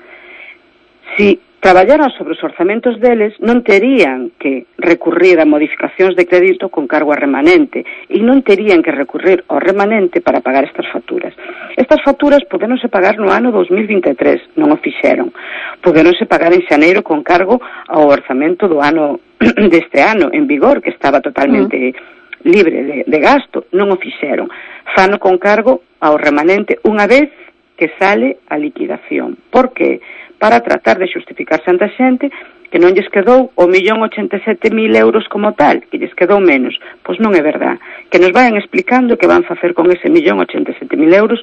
[SPEAKER 8] Si traballaran sobre os orzamentos deles, non terían que recurrir a modificacións de crédito con cargo a remanente e non terían que recurrir ao remanente para pagar estas facturas. Estas facturas poderonse pagar no ano 2023, non o fixeron. Poderonse pagar en xaneiro con cargo ao orzamento do ano deste ano en vigor, que estaba totalmente libre de gasto, non o fixeron. Fano con cargo ao remanente unha vez que sale a liquidación. Por que? Para tratar de xustificarse ante a xente que non lles quedou o 1.087.000 euros como tal, que lles quedou menos. Pois non é verdad. Que nos vayan explicando que van facer con ese 1.087.000 euros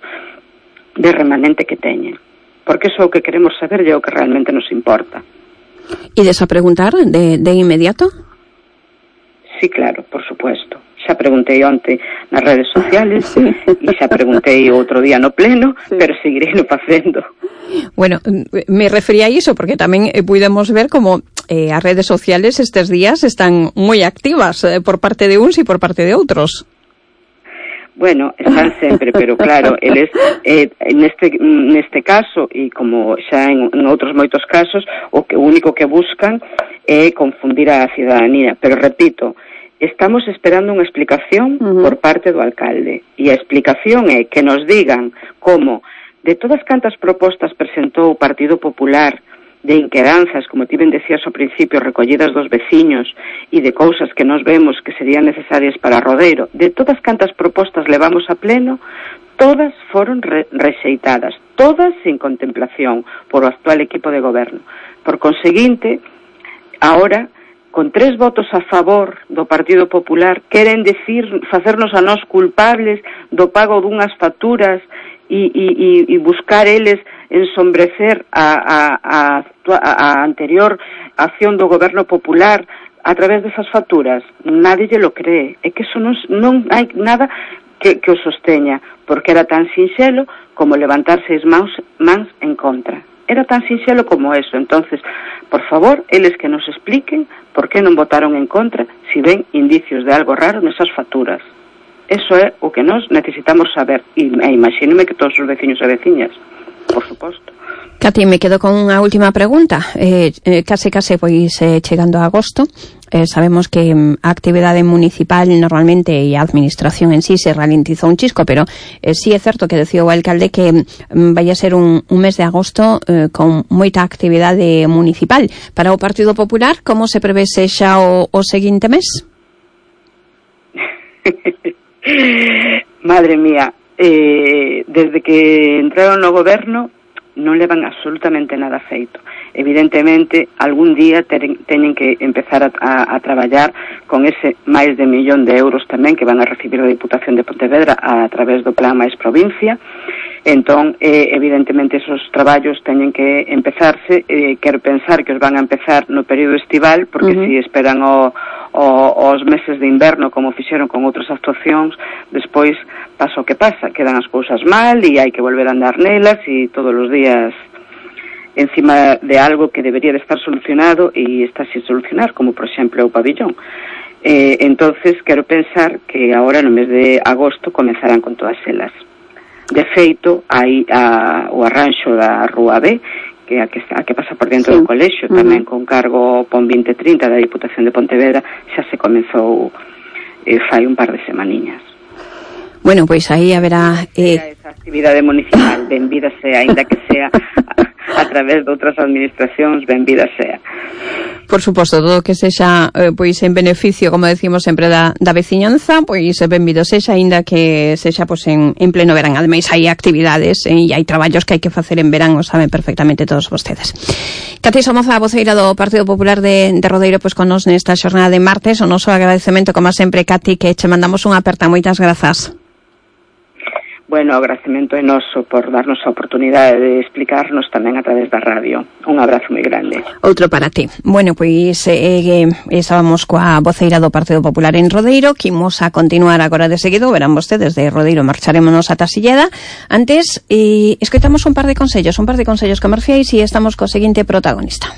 [SPEAKER 8] de remanente que teñen. Porque iso é o que queremos saber e é o que realmente nos importa.
[SPEAKER 4] E desa preguntar de inmediato?
[SPEAKER 8] Sí, claro, por supuesto. Xa preguntei onte nas redes sociales e xa preguntei outro día no pleno, pero seguirei no facendo.
[SPEAKER 4] Bueno, me refería a iso porque tamén pudemos ver como as redes sociales estes días están moi activas por parte de uns e por parte de outros.
[SPEAKER 8] Bueno, están sempre, pero claro, eles neste caso e como xa en outros moitos casos, o único que buscan é confundir a cidadanía, pero repito, estamos esperando unha explicación por parte do alcalde, e a explicación é que nos digan como de todas cantas propostas presentou o Partido Popular de inquedanzas, como ti ben decías ao principio, recollidas dos veciños e de cousas que nos vemos que serían necesarias para Rodeiro, de todas cantas propostas levamos a pleno, todas foron rexeitadas, todas sin contemplación por o actual equipo de goberno. Por conseguinte, ahora, con 3 votos a favor do Partido Popular, queren facernos a nós culpables do pago dunhas facturas e buscar eles ensombrecer a anterior acción do Goberno Popular a través desas facturas. Nadie lle lo cree. É que eso non hai nada que o sosteña, porque era tan sinxelo como levantar 6 mans en contra. Era tan sinxelo como eso. Entonces, por favor, eles que nos expliquen por que non votaron en contra si ven indicios de algo raro nesas facturas. Eso é o que nós necesitamos saber. E imagínome que todos os veciños e veciñas, por suposto.
[SPEAKER 4] Cati, me quedo con unha última pregunta. Case, pois, chegando a agosto, sabemos que a actividade municipal normalmente e a administración en sí se ralentizou un chisco, pero sí é certo que decía o alcalde que vai a ser un mes de agosto con moita actividade municipal. Para o Partido Popular, como se prevé xa o seguinte mes?
[SPEAKER 8] Madre mía, desde que entraron no goberno non levan absolutamente nada feito. Evidentemente, algún día teñen que empezar a traballar con ese máis de 1 millón de euros tamén que van a recibir da Diputación de Pontevedra a través do Plan Mais Provincia. Entón, evidentemente, esos traballos teñen que empezarse. Quero pensar que os van a empezar no período estival, porque se esperan os meses de inverno, como fixeron con outras actuacións, despois pasa o que pasa, quedan as cousas mal e hai que volver a andar nelas e todos os días encima de algo que debería de estar solucionado e está sin solucionar, como por exemplo o pabillón. Entonces, quero pensar que agora no mes de agosto comenzarán con todas elas. De feito, hai o arranxo da Rúa B, que a que pasa por dentro do colexio, tamén con cargo PON 2030 da Diputación de Pontevedra, xa se comezou fai un par de semaniñas.
[SPEAKER 4] Bueno, pois aí haberá
[SPEAKER 8] esa actividade municipal, benvida sea, ainda que sea a través de outras administracións, benvida sea.
[SPEAKER 4] Por suposto, todo que sexa pois en beneficio, como decimos sempre, da veciñanza, pois benvido sexa, aínda que sexa pois en pleno verán. Ademais, hai actividades e hai traballos que hai que facer en verán, o saben perfectamente todos vostedes. Cati Somoza, voceira do Partido Popular de Rodeiro, pois con nos nesta xornada de martes, o noso agradecemento, como sempre, Cati, que che mandamos unha aperta. Moitas grazas.
[SPEAKER 8] Bueno, o agradecemento é noso por darnos a oportunidade de explicarnos tamén a través da radio. Un abrazo moi grande.
[SPEAKER 4] Outro para ti. Bueno, pois estábamos coa voceira do Partido Popular en Rodeiro, que imos a continuar agora de seguido, verán vostedes, de Rodeiro marcharémonos ata Silleda. Antes, escoitamos un par de consellos comerciais e estamos co seguinte protagonista.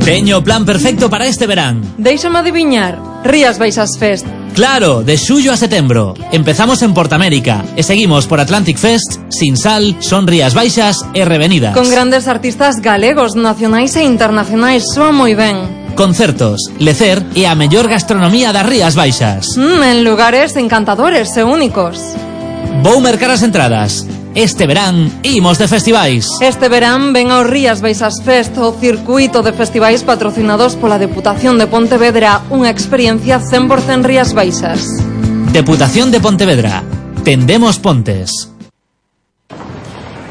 [SPEAKER 9] Teño o plan perfecto para este verán.
[SPEAKER 10] Déixame adiviñar, Rías Baixas Fest.
[SPEAKER 9] Claro, de xullo a setembro. Empezamos en Portamérica e seguimos por Atlantic Fest, Sinsal, Son Rías Baixas e Revenidas.
[SPEAKER 10] Con grandes artistas galegos, nacionais e internacionais, soa moi ben.
[SPEAKER 9] Concertos, lecer e a mellor gastronomía das Rías Baixas.
[SPEAKER 10] En lugares encantadores e únicos.
[SPEAKER 9] Vou mercar as entradas. Este verán imos de festivais.
[SPEAKER 10] Este verán ven ao Rías Baixas Fest, o circuito de festivais patrocinados pola Deputación de Pontevedra, unha experiencia 100% Rías Baixas.
[SPEAKER 9] Deputación de Pontevedra. Tendemos pontes.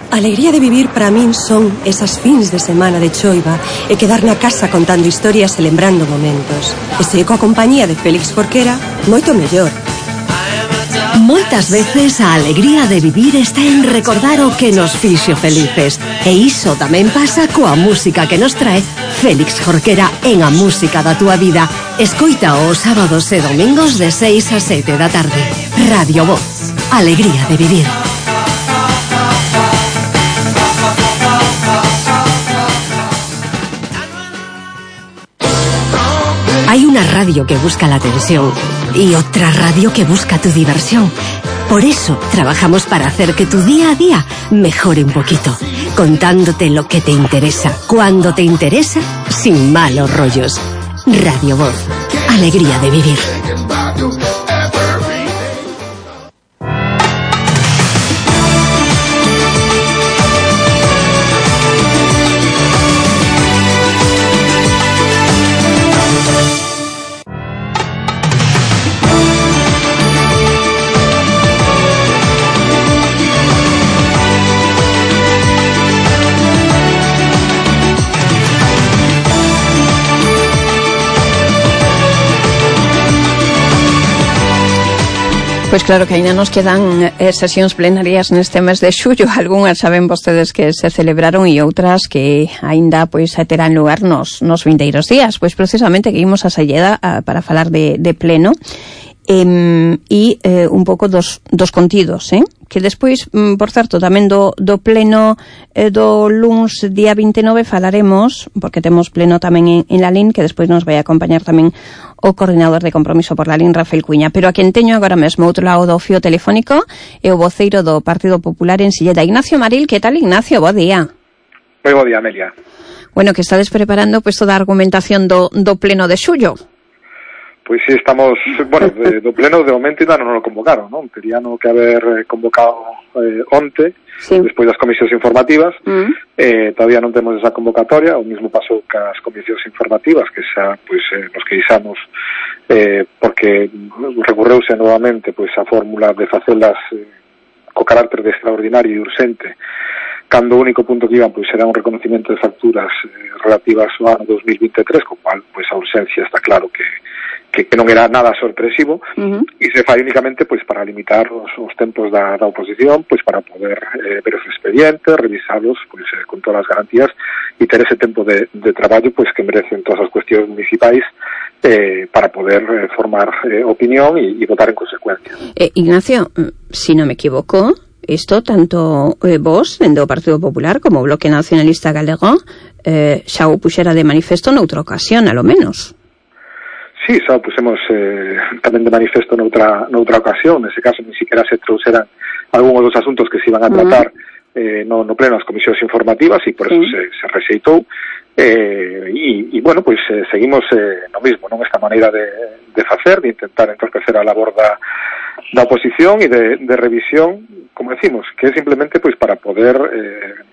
[SPEAKER 11] A alegría de vivir para min son esas fins de semana de choiva e quedar na casa contando historias e lembrando momentos. E se coa compañía de Félix Forquera, moito mellor.
[SPEAKER 1] Moitas veces a alegría de vivir está en recordar o que nos fixo felices. E iso tamén pasa coa música que nos trae Félix Jorquera en A Música da Túa Vida. Escoita os sábados e domingos de 6 a 7 da tarde. Radio Voz. Alegría de vivir. Hay una radio que busca la atención y otra radio que busca tu diversión. Por eso trabajamos para hacer que tu día a día mejore un poquito, contándote lo que te interesa, cuando te interesa, sin malos rollos. Radio Voz. Alegría de vivir.
[SPEAKER 4] Pois claro que ainda nos quedan sesións plenarias neste mes de xullo. Algúnas saben vostedes que se celebraron e outras que ainda pois terán lugar nos vindeiros días. Pois precisamente que imos a Salleda para falar de pleno e un pouco dos contidos, que despois, por certo, tamén do pleno do luns día 29 falaremos, porque temos pleno tamén en Lalín, que despois nos vai acompañar tamén o coordinador de compromiso por Lalín, Rafael Cuña. Pero a quen teño agora mesmo outro lado do fío telefónico é o voceiro do Partido Popular en Silleda, Ignacio Maril. Que tal, Ignacio? Bo día.
[SPEAKER 12] Moi bo día, Amelia.
[SPEAKER 4] Bueno, que estades preparando pois toda a argumentación do pleno de xullo.
[SPEAKER 12] Pois sí, estamos, bueno, do pleno de momento ainda non o convocaron, non? Terían que haber convocado onte, sí, despois das comisións informativas. Todavía non temos esa convocatoria. O mismo pasou cas comisións informativas, que xa, pois, nos queixamos porque recurreuse novamente pois a fórmula de facelas co carácter de extraordinario e urxente, cando o único punto que iban pois era un reconocimiento de facturas relativas ao ano 2023, co cual pois a urxencia está claro que non era nada sorpresivo, e se fai únicamente pois para limitar os tempos da oposición, pois para poder ver os expedientes, revisalos pois con todas as garantías e ter ese tempo de traballo pois que merecen todas as cuestións municipais para poder formar opinión e votar en consecuencia.
[SPEAKER 4] Ignacio, si non me equivoco, isto tanto vos, dende o Partido Popular, como o Bloque Nacionalista Galego, xa o puxera de manifesto noutra ocasión, a lo menos.
[SPEAKER 12] Sí, xa pusemos tamén de manifesto noutra ocasión. Nese caso, ni siquiera se trouxeran algúns dos asuntos que se iban a tratar no pleno das comisións informativas, e por eso se rexeitou. E bueno, pois seguimos no mismo, non? Esta maneira de facer, de intentar entorpecer a labor da oposición e de revisión, como decimos, que é simplemente pois para poder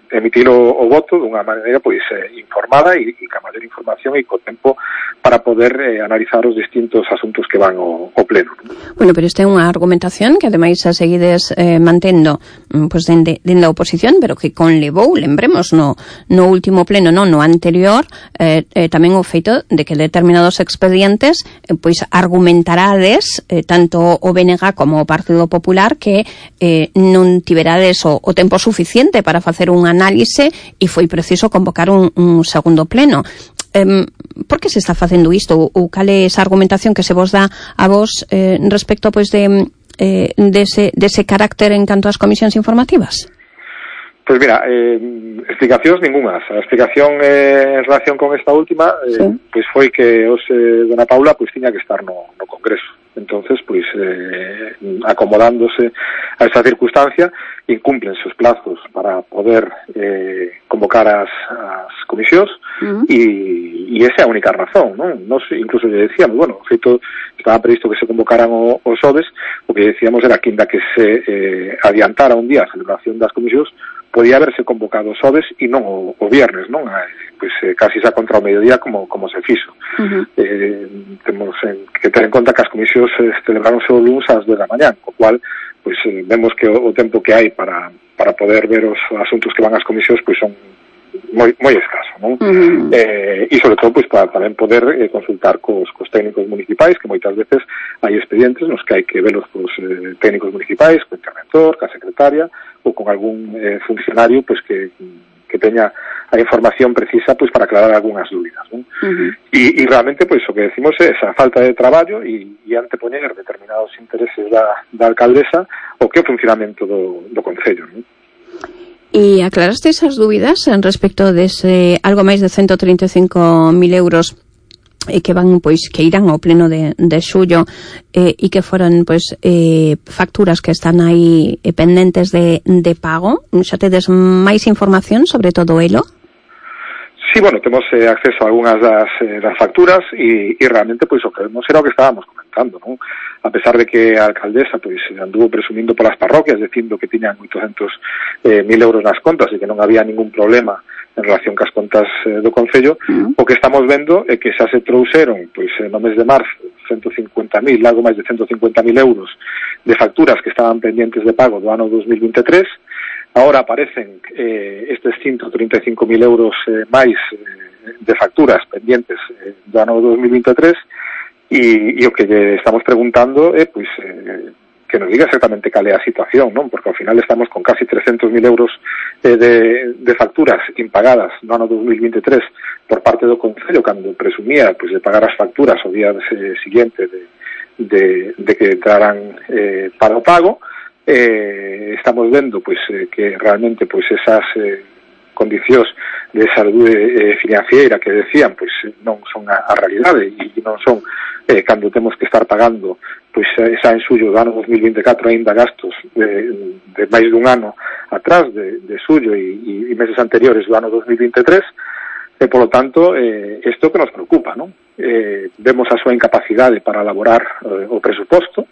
[SPEAKER 12] emitir o voto dunha maneira pois informada e ca maior información e co tempo para poder analizar os distintos asuntos que van ao pleno.
[SPEAKER 4] Bueno, pero esta é unha argumentación que ademais a seguides mantendo pois dende a oposición, pero que conlevou, lembremos, no último pleno, no anterior, tamén o feito de que determinados expedientes pois argumentarades tanto o BNG como o Partido Popular que non tiverades o tempo suficiente para facer un análise e foi preciso convocar un segundo pleno. Por que se está facendo isto? Ou cal é esa argumentación que se vos dá a vos respecto pois dese carácter en canto ás comisións informativas?
[SPEAKER 12] Pois mira, explicacións ningunhas. A explicación en relación con esta última pois foi que dona Paula pois tiña que estar no Congreso. Entonces, pois acomodándose a esa circunstancia, incúmplense os plazos para poder convocar as comisións e esa é a única razón, non? Nos incluso lle decíamos, bueno, o feito estaba previsto que se convocaran os ODES, o que decíamos era que ainda que se adiantara un día a celebración das comisións, podía haberse convocado os ODES e non o viernes, non? Pois casi xa contra o mediodía como se fixo. Temos que ter en conta que as comisións celebraronse o luns ás 10 da mañá, co cual pois vemos que o tempo que hai para poder ver os asuntos que van ás comisións pois son moi escaso, non? E sobre todo, pois, para tamén poder consultar cos técnicos municipais, que moitas veces hai expedientes nos que hai que velos cos técnicos municipais, co interventor, ca secretaria, ou con algún funcionario, pois, que teña a información precisa, pois, para aclarar algunhas dúbidas, non? E realmente, pois, o que decimos é esa falta de traballo e antepoñer determinados intereses da alcaldesa o que é o funcionamento do Concello, non?
[SPEAKER 4] E aclaraste esas dúbidas en respecto dese algo máis de 135.000 euros que van, pois, que irán ao pleno de xullo e que foron, pois, facturas que están aí pendentes de pago. Xa tedes máis información sobre todo elo?
[SPEAKER 12] Sí, bueno, temos acceso a algunhas das facturas e realmente, pois, o que vemos era o que estábamos comentando, non? A pesar de que a alcaldesa, pois, anduvo presumindo polas parroquias, dicindo que tiñan 800.000 euros nas contas e que non había ningún problema en relación cas contas do Concello, o que estamos vendo é que xa se trouxeron, pois, no mes de marzo, 150.000, algo máis de 150.000 euros de facturas que estaban pendientes de pago do ano 2023. Ahora aparecen estes 135.000 euros máis de facturas pendientes do ano 2023 e o que estamos preguntando é, pois, que nos diga exactamente cal é a situación, non? Porque ao final estamos con casi 300.000 euros de facturas impagadas no ano 2023 por parte do Concello, cando presumía, pois, de pagar as facturas o día siguiente de que entraran para o pago. Estamos vendo, pois, que realmente, pois, esas condicións de saúde financiera que decían, pois, non son a realidade e non son cando temos que estar pagando, pois, esa en xullo do ano 2024 aínda gastos de máis dun ano atrás de xullo e meses anteriores do ano 2023 e, polo tanto, isto que nos preocupa, non? Vemos a súa incapacidade para elaborar o presuposto.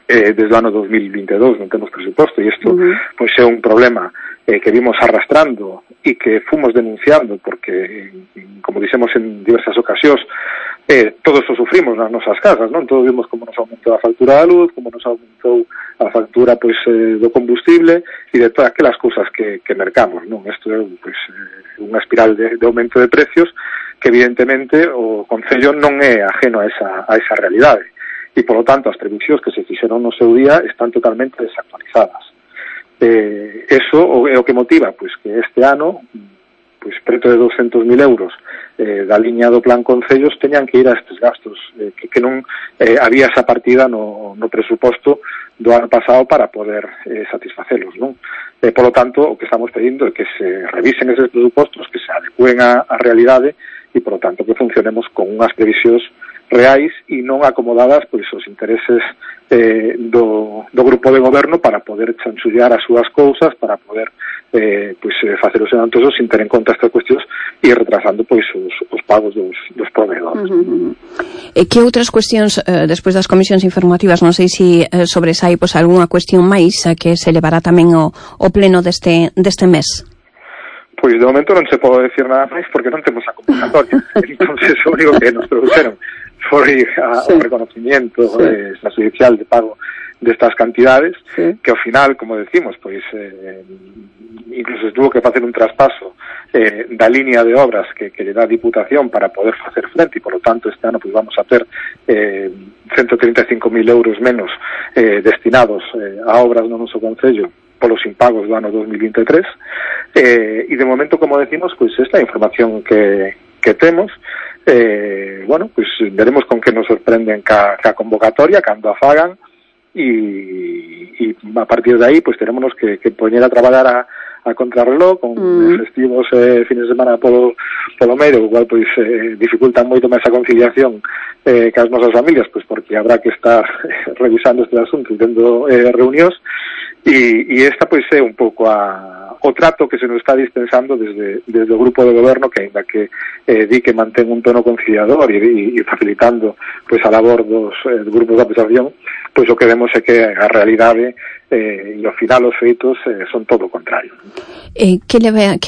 [SPEAKER 12] Desde o ano 2022 non temos presuposto e isto, pois, é un problema que vimos arrastrando e que fomos denunciando porque, como dixemos en diversas ocasións, todos o sufrimos nas nosas casas, non? Todos vimos como nos aumentou a factura da luz, como nos aumentou a factura, pois, do combustible e de todas aquelas cousas que mercamos, non? Isto é, pois, unha espiral de aumento de precios que, evidentemente, o Concello non é ajeno a esa realidade. E, polo tanto, as previsións que se fixeron no seu día están totalmente desactualizadas. Eso é o que motiva, pois, que este ano, pois, preto de 200.000 euros da liña do Plan Concellos teñan que ir a estes gastos, que non había esa partida no presuposto do ano pasado para poder satisfacelos, non? Polo tanto, o que estamos pedindo é que se revisen eses presupostos, que se adecúen á realidade e, polo tanto, que funcionemos con unhas previsións reais e non acomodadas, pois, os intereses do grupo de goberno para poder chanchullar as súas cousas, para poder pois, facer os adelantos sin ter en conta estas cuestións e retrasando, pois, os pagos dos proveedores.
[SPEAKER 4] Que outras cuestións, despois das comisións informativas, non sei se sobresai, pois, algunha cuestión máis que se levará tamén o pleno deste mes?
[SPEAKER 12] Pois, de momento non se pode decir nada máis porque non temos a convocatoria. Entonces, o único que nos produceron foi o reconocimiento extrajudicial de pago destas cantidades, que ao final, como decimos, pois incluso tuvo que facer un traspaso da línea de obras que lle dá a Diputación para poder facer frente e, por lo tanto, este ano pois vamos a ter 135.000 euros menos destinados a obras no noso Concello polos impagos do ano 2023 e, de momento, como decimos, pois esta é a información que temos. Bueno, pues veremos con que nos sorprenden ca convocatoria cando a fagan e a partir de aí pues tenemos que poñer a traballar a contrarreloj con festivos fines de semana polo medio, o cual pues dificultan moito máis a conciliación cas nosas familias, pues porque habrá que estar revisando este asunto e tendo reunións e esta pues é un pouco o trato que se nos está dispensando desde o grupo de goberno, que ainda que di que mantén un tono conciliador e facilitando pois a labor dos grupos de acusación, pois o que vemos é que a realidade e ao final os feitos son todo o contrario.
[SPEAKER 4] Que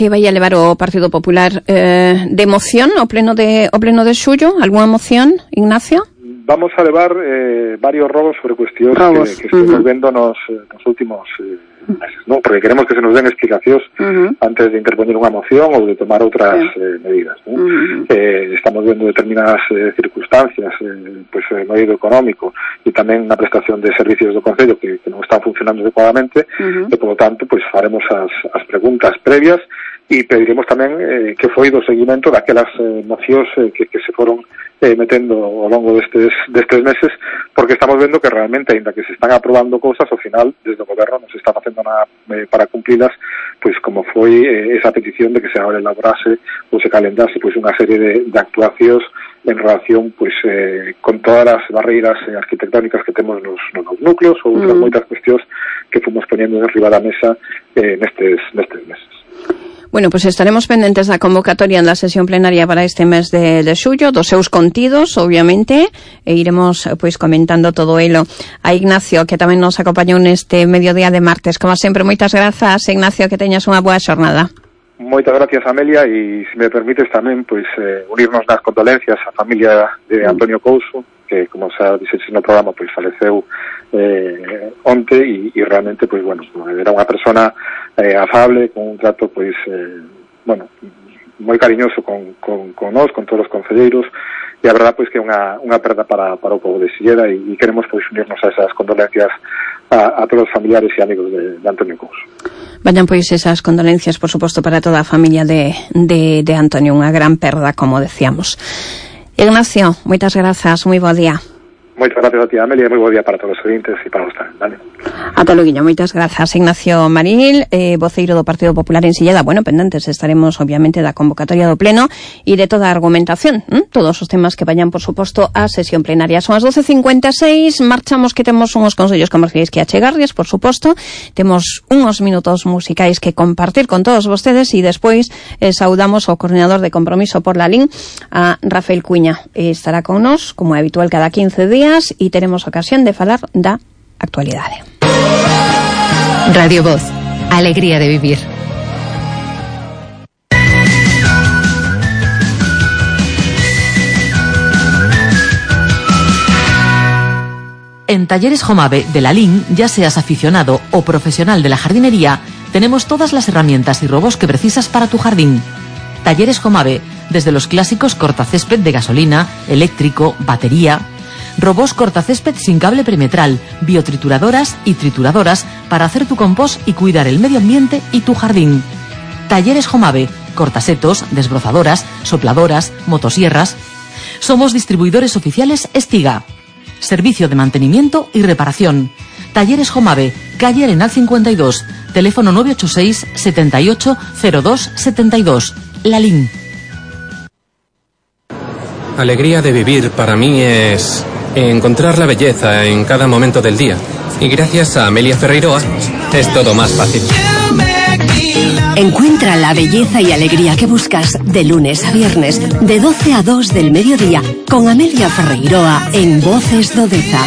[SPEAKER 4] vai a levar o Partido Popular de moción ao pleno de xullo? Algunha moción, Ignacio?
[SPEAKER 12] vamos a levar varios robos sobre cuestións que estamos vendo nos últimos meses, non? Porque queremos que se nos den explicacións antes de interpoñer unha moción ou de tomar outras medidas, non? Estamos vendo determinadas circunstancias pois no eido económico e tamén na prestación de servicios do Concello que non están funcionando adecuadamente e, por lo tanto, pois faremos as preguntas previas e pediremos tamén que foi do seguimento daquelas mocións que se foron metendo ao longo destes meses, porque estamos vendo que realmente, ainda que se están aprobando cousas, ao final, desde o goberno non se está facendo nada para cumplilas, pois como foi esa petición de que se elaborase ou se calendase pois unha serie de actuacións en relación pois con todas as barreiras arquitectónicas que temos nos núcleos ou outras moitas cuestións que fomos poñendo en riba da mesa nestes meses.
[SPEAKER 4] Bueno, pues estaremos pendentes da convocatoria en la sesión plenaria para este mes de xullo, dos seus contidos, obviamente, e iremos pois comentando todo elo. A Ignacio, que tamén nos acompañou neste mediodía de martes. Como sempre, moitas grazas, Ignacio, que teñas unha boa xornada.
[SPEAKER 12] Moitas gracias, Amelia, e se me permites tamén pois unirnos nas condolencias á familia de Antonio Couso, que, como xa dixeches no programa, pois faleceu onte e realmente, pois, bueno, era unha persona afable, con un trato, pois, bueno, moi cariñoso con nós, con todos os concelleiros, e a verdad, pois, que é unha perda para o povo de Silleda e queremos, pois, unirnos a esas condolencias a todos os familiares e amigos de Antonio Couso.
[SPEAKER 4] Vayan, pois, esas condolencias, por suposto, para toda a familia de Antonio, unha gran perda, como decíamos. Ignacio, moitas grazas, moi bo día.
[SPEAKER 12] Moitas gracias a ti, Amelia, e moi bo día para todos os ouvintes e para vos tamén, vale?
[SPEAKER 4] Ata loguiño, moitas grazas. Ignacio Maril, voceiro do Partido Popular en Silleda. Bueno, pendentes estaremos, obviamente, da convocatoria do Pleno e de toda a argumentación, todos os temas que vayan, por suposto, á sesión plenaria. Son as 12:56, marchamos, que temos unhos consellos comerciais que achegarlles, por suposto, temos unhos minutos musicais que compartir con todos vostedes e despois saudamos ao coordinador de Compromiso por la LIN, a Rafael Cuña. Estará con nós, como é habitual, cada 15 días e teremos ocasión de falar da actualidade.
[SPEAKER 2] Radio Voz, alegría de vivir.
[SPEAKER 5] En Talleres Jomave de la LIN, ya seas aficionado o profesional de la jardinería, tenemos todas las herramientas y robos que precisas para tu jardín. Talleres Jomave, desde los clásicos cortacésped de gasolina, eléctrico, batería, robos cortacésped sin cable perimetral, biotrituradoras y trituradoras para hacer tu compost y cuidar el medio ambiente y tu jardín. Talleres Jomave, cortasetos, desbrozadoras, sopladoras, motosierras. Somos distribuidores oficiales Estiga. Servicio de mantenimiento y reparación. Talleres Jomave, calle Arenal 52, teléfono 986 78 02 72. La LIN.
[SPEAKER 13] Alegría de vivir para mí es encontrar la belleza en cada momento del día. Y gracias a Amelia Ferreiroa es todo más fácil.
[SPEAKER 1] Encuentra la belleza y alegría que buscas de lunes a viernes, de 12 a 2 del mediodía, con Amelia Ferreiroa en Voces Dodeza.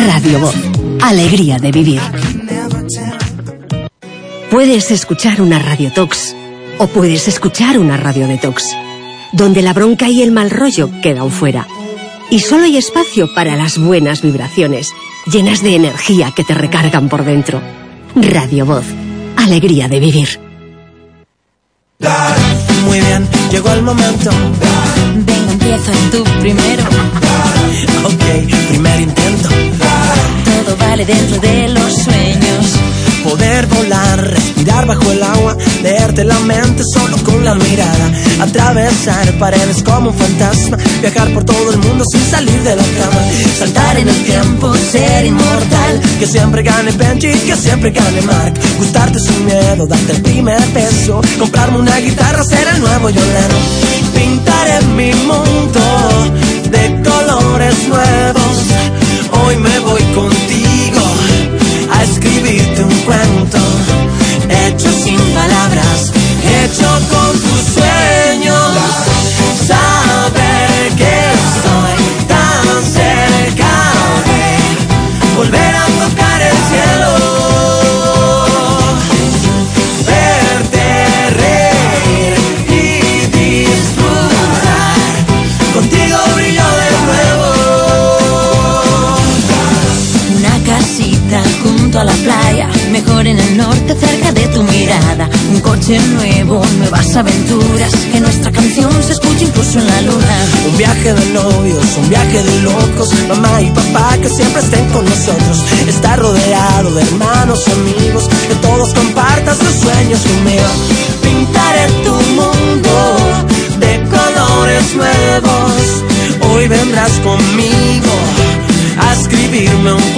[SPEAKER 1] Radio Voz. Alegría de vivir. Puedes escuchar una Radio Tox o puedes escuchar una Radio Detox, donde la bronca y el mal rollo quedan fuera. Y solo hay espacio para las buenas vibraciones, llenas de energía que te recargan por dentro. Radio Voz. Alegría de vivir.
[SPEAKER 14] Muy bien, llegó el momento.
[SPEAKER 7] Venga, empieza tú primero.
[SPEAKER 14] Ok, primer intento.
[SPEAKER 7] Todo vale dentro de los sueños.
[SPEAKER 14] Poder volar, respirar bajo el agua, leerte la mente solo con la mirada, atravesar paredes como un fantasma, viajar por todo el mundo sin salir de la cama, saltar en el tiempo, ser inmortal, que siempre gane Benji, que siempre gane Mark, gustarte sin miedo, darte el primer beso, comprarme una guitarra, ser el nuevo Yolano, pintaré mi mundo de colores nuevos, hoy me voy contigo a escribirte un cuento, hecho sin palabras, hecho con tus sueños, saber que estoy tan cerca de volver a tocar el cielo, verte reír y disfrutar, contigo brillo de nuevo.
[SPEAKER 7] coche nuevo, nuevas aventuras, que nuestra canción se escuche incluso en la luna.
[SPEAKER 14] Un viaje de novios, un viaje de locos, mamá y papá que siempre estén con nosotros. Estar rodeado de hermanos, amigos, que todos compartas los sueños conmigo. Pintaré tu mundo de colores nuevos. Hoy vendrás conmigo a escribirme un